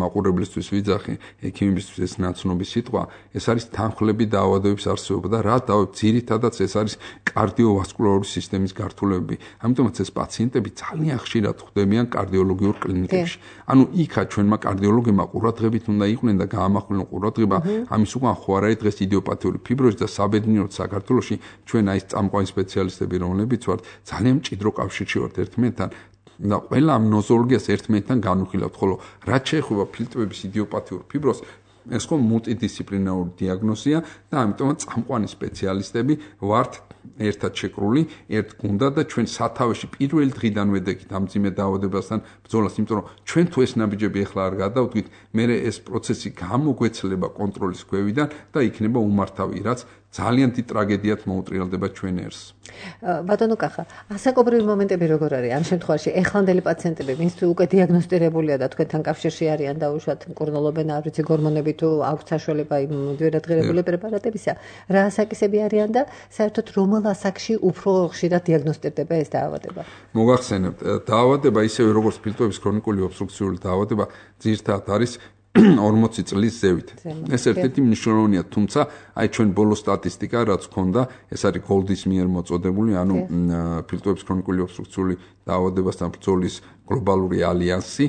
მაყურებლისთვის ვიძახი, ექიმებისთვის ეს ნაცნობი სიტყვა, ეს არის თანხლები დაავადებების არსებობა და რა დაავადeb ძირითადად ეს არის კარდიოვასკულარული სისტემის გართულებები. ამიტომაც ეს პაციენტები ძალიან ხშირად ხვდებიან კარდიოლოგიურ კლინიკებში. ანუ იქა ჩვენმა კარდიოლოგებმა ყურადღებით უნდა იყვნენ და გაამახვილონ ყურადღება ამის უკან ხო არ არის დღეს იდიოპათიური ფიბროზი და საბედნიეროდ საქართველოში ჩვენ აი ეს წამყვანი სპეციალისტები რომლებიც ვართ ძალიან მჭიდრო კავშირში ვართ ერთმანეთთან და ყველა ამ ნოზოლოგიას ერთმანეთთან განვიხილავთ, ხოლო რაც შეეხება ფილტვების იდიოპათიურ ფიბროზს, ეს ხო მულტიდისციპლინარული დიაგნოზია და ამიტომაც წამყვანი სპეციალისტები ვართ ერთად შეკრული, ერთ გუნდად და ჩვენ სათავეში პირველი დღიდან ვედექით ამ ძიმე დაავადებასთან ბრძოლას, იმიტომ რომ ჩვენ თუ ეს ნაბიჯები ახლა არ გადავდგით, მე ეს პროცესი გამოგვეცლება კონტროლის ქვევიდან და იქნება უმართავი, რაც ძალიან დიდ ტრაგედიად მოუტრიალდება ჩვენ ერს. ბატონო კახა, ასაკობრივი მომენტები როგორ არის ამ შემთხვევაში? ეხლანდელი პაციენტები, ვინც უკვე დიაგნოსტირებულია და თქვენთან კავშირში არიან და უშუალოდ მკურნალობენ, არ ვიცი, გორმონები თუ აქვს საშუალება იმ ძვირადღირებული პრეპარატებისა, რა ასაკისები არიან და საერთოდ რომელ ასაკში უფრო ხშირად დიაგნოსტირდება ეს დაავადება? მოგახსენებთ, დაავადება ისევე როგორც ფილტვების ქრონიკული ობსტრუქციული დაავადება, ძირითადად არის ორმოცი წლის ზევით. ეს ერთ-ერთი მნიშვნელოვანია, თუმცა აი ჩვენ ბოლო სტატისტიკა რაც ქონდა, ეს არის გოლდის მიერ მოწოდებული, ანუ ფილტვების ქრონიკული ობსტრუქციული დაავადებასთან ბრძოლის გლობალური ალიანსი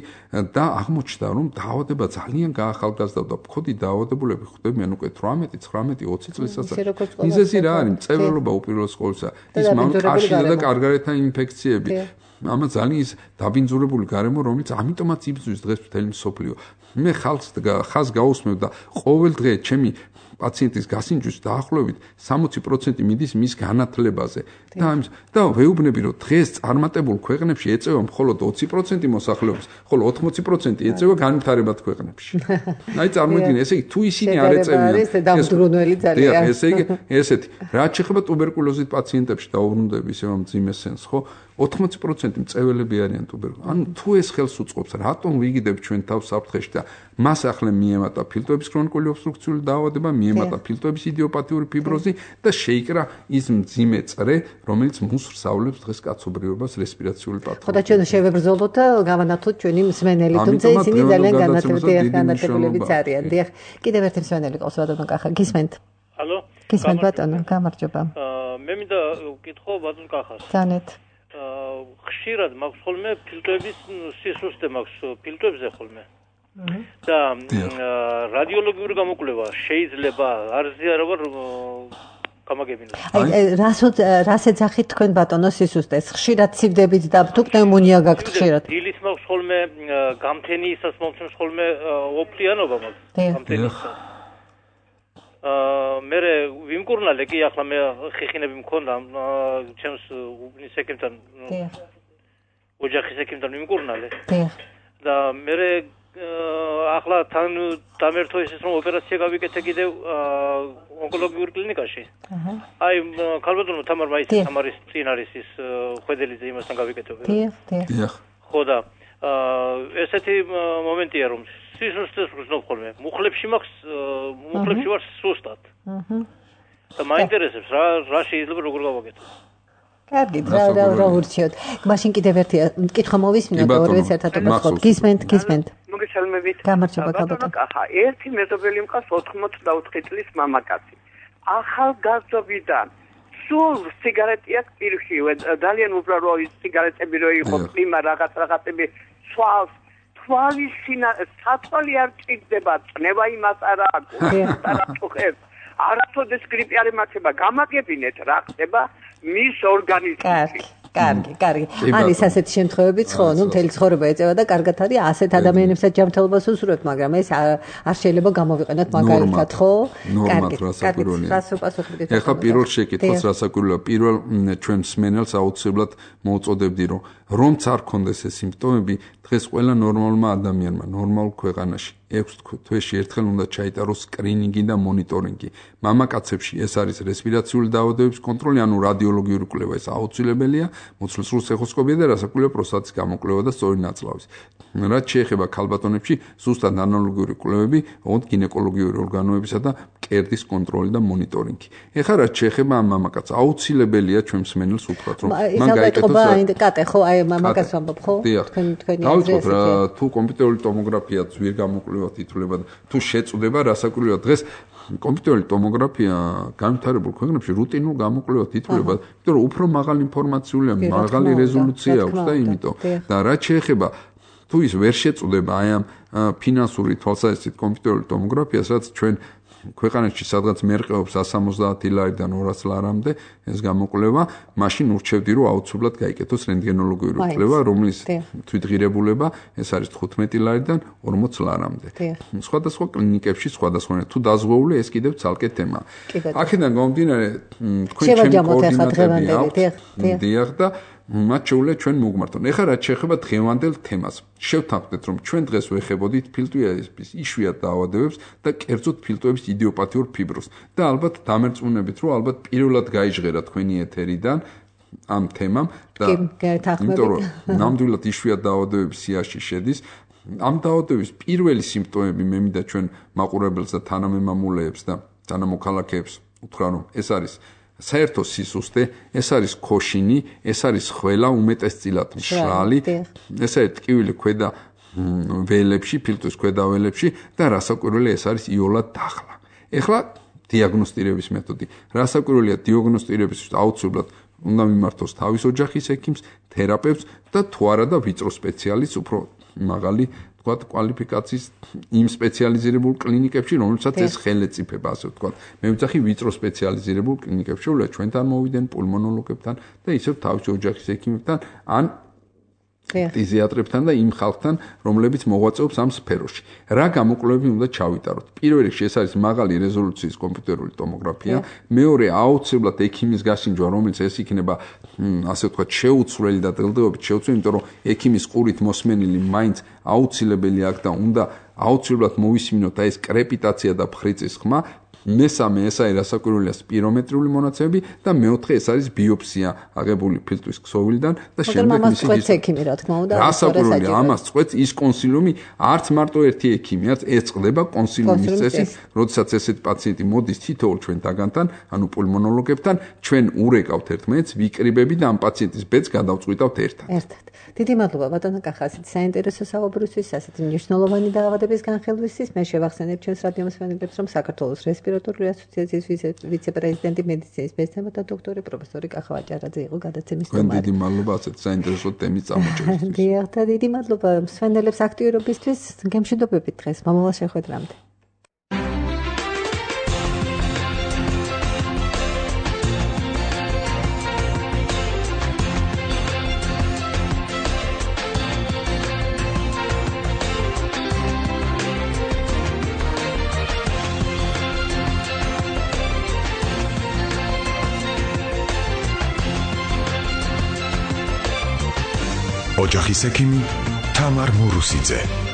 და აღმოჩნდა, რომ დაავადება ძალიან გაახალგაზრდა და ფქოდი დაავადებულები ხვდებიან უკვე თვრამეტი, ცხრამეტი, ოცი წლის ასაკში. მიზეზი რა არის? მწვერვალობა უპირველეს ყოვლისა. ის მამკარშია და კარგარეთა ინფექციები. ამა ძალიან ის დაბინძურებული გარემო, რომელიც ამიტომაც იბრძვის დღეს მთელი მსოფლიო. მე ხალხს ხაზს გაუსმევ და ყოველ დღე ჩემი პაციენტის გასინჯვის დაახლოებით სამოცი პროცენტი მიდის მის განათლებაზე. და ამის და ვეუბნები, რომ დღეს წარმატებულ ქვეყნებში ეწევა მხოლოდ ოცი პროცენტი მოსახლეობის, ხოლო ოთხმოცი პროცენტი ეწევა განვითარებად ქვეყნებში. აი წარმოიდგინე, ესე იგი თუ ისინი არ ეწევიან, ეს დამძრუნველი ძალიან. ესე იგი ესეთი, რაც შეეხება ტუბერკულოზით პაციენტებში დაუბრუნდები ისევ მძიმე სენს, ხო? ოთხმოცი პროცენტი მწვერვალები არიან ტუბერკულოზი. ანუ თუ ეს ხელს უწყობს, რატომ ვიგიდებ ჩვენ თავს საფრთხეში და მას ახლა მიემატა ფილტვების ქრონიკული ობსტრუქციული დაავადება, მიემატა ფილტვების იდიოპათიური ფიბროზი და შეიკრა ის მძიმე წრე, რომელიც მოსრსავლებს დღეს კაცობრიობას რესპირაციული პათოლოგიით. ხო და ჩვენ შევებრძოლოთ და გავანათლოთ ჩვენი მსმენელი, თუმცა ისინი ძალიან განათლებლებიც არიან. დიახ, კიდევ ერთი მსმენელი ყავს ბატონო კახა, გისმენთ? ალო? გისმენთ ბატონო, გამარჯობა. მე მინდა ვკითხო ბატონ კახას. ძალიან. ხშირად მაქვს ხოლმე ფილტვების სისუსტე მაქვს ფილტვებზე ხოლმე. და რადიოლოგიური გამოკვლევა შეიძლება არ ზიარება გამაგებინოს. აი რას რას ეძახით თქვენ ბატონო სისუსტეს? ხშირად ცივდებით და თუ პნევმონია გაქვთ ხშირად? დილის მაქვს ხოლმე გამთენიისას მომწონს ხოლმე ოფლიანობა მაქვს გამთენიისას. აა მე ვიმკურნალე კი ახლა მე ხიხინები მქონდა ჩემს უბნის ეკიმთან ოჯახის ეკიმთან ვიმკურნალე და მე ახლა თან დამერთო ისიც რომ ოპერაცია გავიკეთე კიდევ ონკოლოგიურ კლინიკაში. აი ქალბატონო თამარ მაისი თამარის წინ არის ის ხვედელიძე იმასთან გავიკეთე. დიახ, დიახ. ხო და ესეთი მომენტია რომ სისუსტეს ვგრძნობ ხოლმე. მუხლებში მაქვს მუხლებში ვარ სუსტად. აჰა. და მაინტერესებს რა რა შეიძლება როგორ გავაკეთო. კარგი, რა რა რა ურჩიოთ. მაშინ კიდევ ერთი კითხვა მოვისმინოთ ორვეც ერთად ვაწყობთ. გისმენთ, გისმენთ. მოგესალმებით. გამარჯობა ბატონო. ახლა ერთი მეზობელი მყავს ოთხმოცდაოთხი წლის მამაკაცი. ახალგაზრდობიდან სულ სიგარეტი აქვს პირში, ძალიან უბრალო ის სიგარეტები რო იყო, ყიმა რაღაც რაღაცები სვავს თვალის სინა სათვალი არ ჭირდება, წნევა იმას არ აქვს, არა წუხებს. არასოდეს გრიპი არ ემართება, გამაგებინეთ რა ხდება მის ორგანიზმში. კარგი, კარგი, კარგი. არის ასეთი შემთხვევებიც ხო, ნუ მთელი ცხოვრება ეწევა და კარგად არის ასეთ ადამიანებსაც ჯანმრთელობას უსურვებთ, მაგრამ ეს არ შეიძლება გამოვიყენოთ მაგალითად, ხო? კარგი, კარგი. ეხლა პირველ შეკითხვას რასაკვირველია, პირველ ჩვენ მსმენელს აუცილებლად მოუწოდებდი, რომ რომც არ ქონდეს ეს სიმპტომები, დღეს ყველა ნორმალურმა ადამიანმა, ნორმალურ ქვეყანაში ექვს თვეში ერთხელ უნდა ჩაიტაროს სკრინინგი და მონიტორინგი. მამაკაცებში ეს არის რესპირაციული დაავადებების კონტროლი, ანუ რადიოლოგიური კვლევა, ეს აუცილებელია, მოცლის ეხოსკოპია და რასაკვირველია პროსტატის გამოკვლევა და სწორი ნაწლავის. რაც შეეხება ქალბატონებში, ზუსტად ანალოგიური კვლევები, ოღონდ გინეკოლოგიური ორგანოებისა და მკერდის კონტროლი და მონიტორინგი. ეხლა რაც შეეხება ამ მამაკაცს, აუცილებელია ჩვენ მსმენელს უთხრათ, რომ მან გაიკეთოს კატე, ხო, აი მამაკაცს ვამბობ, ხო? თქვენ თქვენი აზრი რა თუ კომპიუტერული ტომოგრაფია ძვირ გამოკვლევად ითვლება და თუ შეწუდება რასაკვირველია დღეს კომპიუტერული ტომოგრაფია განვითარებულ ქვეყნებში რუტინულ გამოკვლევად ითვლება, იმიტომ რომ უფრო მაღალი ინფორმაციულია, მაღალი რეზოლუცია აქვს და იმიტომ და რაც შეეხება თუ ის ვერ შეწუდება აი ამ ფინანსური თვალსაზრისით კომპიუტერული ტომოგრაფიას, რაც ჩვენ ქვეყანაში სადღაც მერყეობს εκατს სამოცდაათი ლარიდან ორას ლარამდე ეს გამოკვლევა, მაშინ ურჩევდი რომ აუცილებლად გაიკეთოს რენტგენოლოგიური კვლევა, რომლის თვითღირებულება ეს არის თხუთმეტი ლარიდან ორმოც ლარამდე. სხვადასხვა კლინიკებში სხვადასხვანაირ თუ დაზღვეული ეს კიდევ ცალკე თემაა. აქედან გამომდინარე თქვენ ჩემი კოორდინატები აქვს. დიახ და მათ შეუძლია ჩვენ მოგმართონ. ეხლა რაც შეეხება დღევანდელ თემას, შევთანხმდეთ, რომ ჩვენ დღეს ვეხებოდით ფილტვების იშვიათ დაავადებებს და კერძოდ ფილტვების იდიოპათიურ ფიბროზს და ალბათ დამერწმუნებით, რომ ალბათ პირველად გაიჟღერა თქვენი ეთერიდან ამ თემამ და იმიტომ რომ ნამდვილად იშვიათ დაავადებების სიაში შედის. ამ დაავადების პირველი სიმპტომები მე მინდა ჩვენ მაყურებელს და თანამემამულეებს და თანამოქალაქეებს უთხრა, რომ ეს არის საერთო სისუსტე, ეს არის ქოშინი, ეს არის ხველა უმეტესწილად მშრალი, ეს არის ტკივილი ქვედა ველებში, ფილტვის ქვედა ველებში და რასაკვირველია ეს არის იოლად დახლა. ეხლა დიაგნოსტირების მეთოდი. რასაკვირველია დიაგნოსტირებისთვის აუცილებლად უნდა მიმართოს თავის ოჯახის ექიმს, თერაპევტს და თუ არა და ვიწრო სპეციალისტს, უფრო მაღალი თქვათ კვალიფიკაციის იმ სპეციალიზირებულ კლინიკებში, რომელსაც ეს ხელეწიფება, ასე ვთქვათ. მე ვიძახი ვიწრო სპეციალიზირებულ კლინიკებში, რომ ჩვენთან მოვიდნენ პულმონოლოგებთან და ისევ თავისი ოჯახის ექიმებთან ან ფიზიატრებთან და იმ ხალხთან, რომლებიც მოღვაწეობს ამ სფეროში. რა გამოკვლევები უნდა ჩავიტაროთ? პირველ რიგში ეს არის მაღალი რეზოლუციის კომპიუტერული ტომოგრაფია, მეორე აუცილებლად ექიმის გასინჯვა, რომელიც ეს იქნება, ასე ვთქვათ, შეუცვლელი და დღელდღეობით შეუცვლელი, იმიტომ რომ ექიმის ყურით მოსმენილი მაინც აუცილებელი აქ და უნდა აუცილებლად მოვისმინოთ ეს კრეპიტაცია და ფხრიწის ხმა. მესამე ეს არის რასაკვირველია სპირომეტრიული მონაცემები და მეოთხე ეს არის ბიოპსია აღებული ფილტვის ქსოვილიდან და შემდეგ მისი ექიმი რა თქმა უნდა რასაკვირველია ამას წყვეტს ის კონსილიუმი არც მარტო ერთი ექიმი არც ეს წყდება კონსილიუმის წესი როდესაც ესეთი პაციენტი მოდის თითოეულ ჩვენ დაგანთან ანუ პულმონოლოგებთან ჩვენ ურეკავთ ერთმანეთს ვიკრიბები და ამ პაციენტის ბედს გადავწყვიტავთ ერთად ერთად დიდი მადლობა ბატონო კახასით საინტერესო საუბრისთვის ასეთი მნიშვნელოვანი დაავადების განხილვისთვის მე შევახსენებ ჩვენს რადიო მსმენელებს რომ საქართველოს რესპირატორული ასოციაციის ვიცე-პრეზიდენტი მედიცინის მეცნიერებათა დოქტორი პროფესორი კახა ვაჭარაძე იყო გადაცემის თემად. დიდი მადლობა ასეთ საინტერესო თემის წამოჭერისთვის. დიახ, დიდი მადლობა მსმენელებს აქტიურობისთვის. გემშვიდობებით დღეს. მომავალ შეხვედრამდე. ოჯახის ექიმი თამარ მურუსიძე.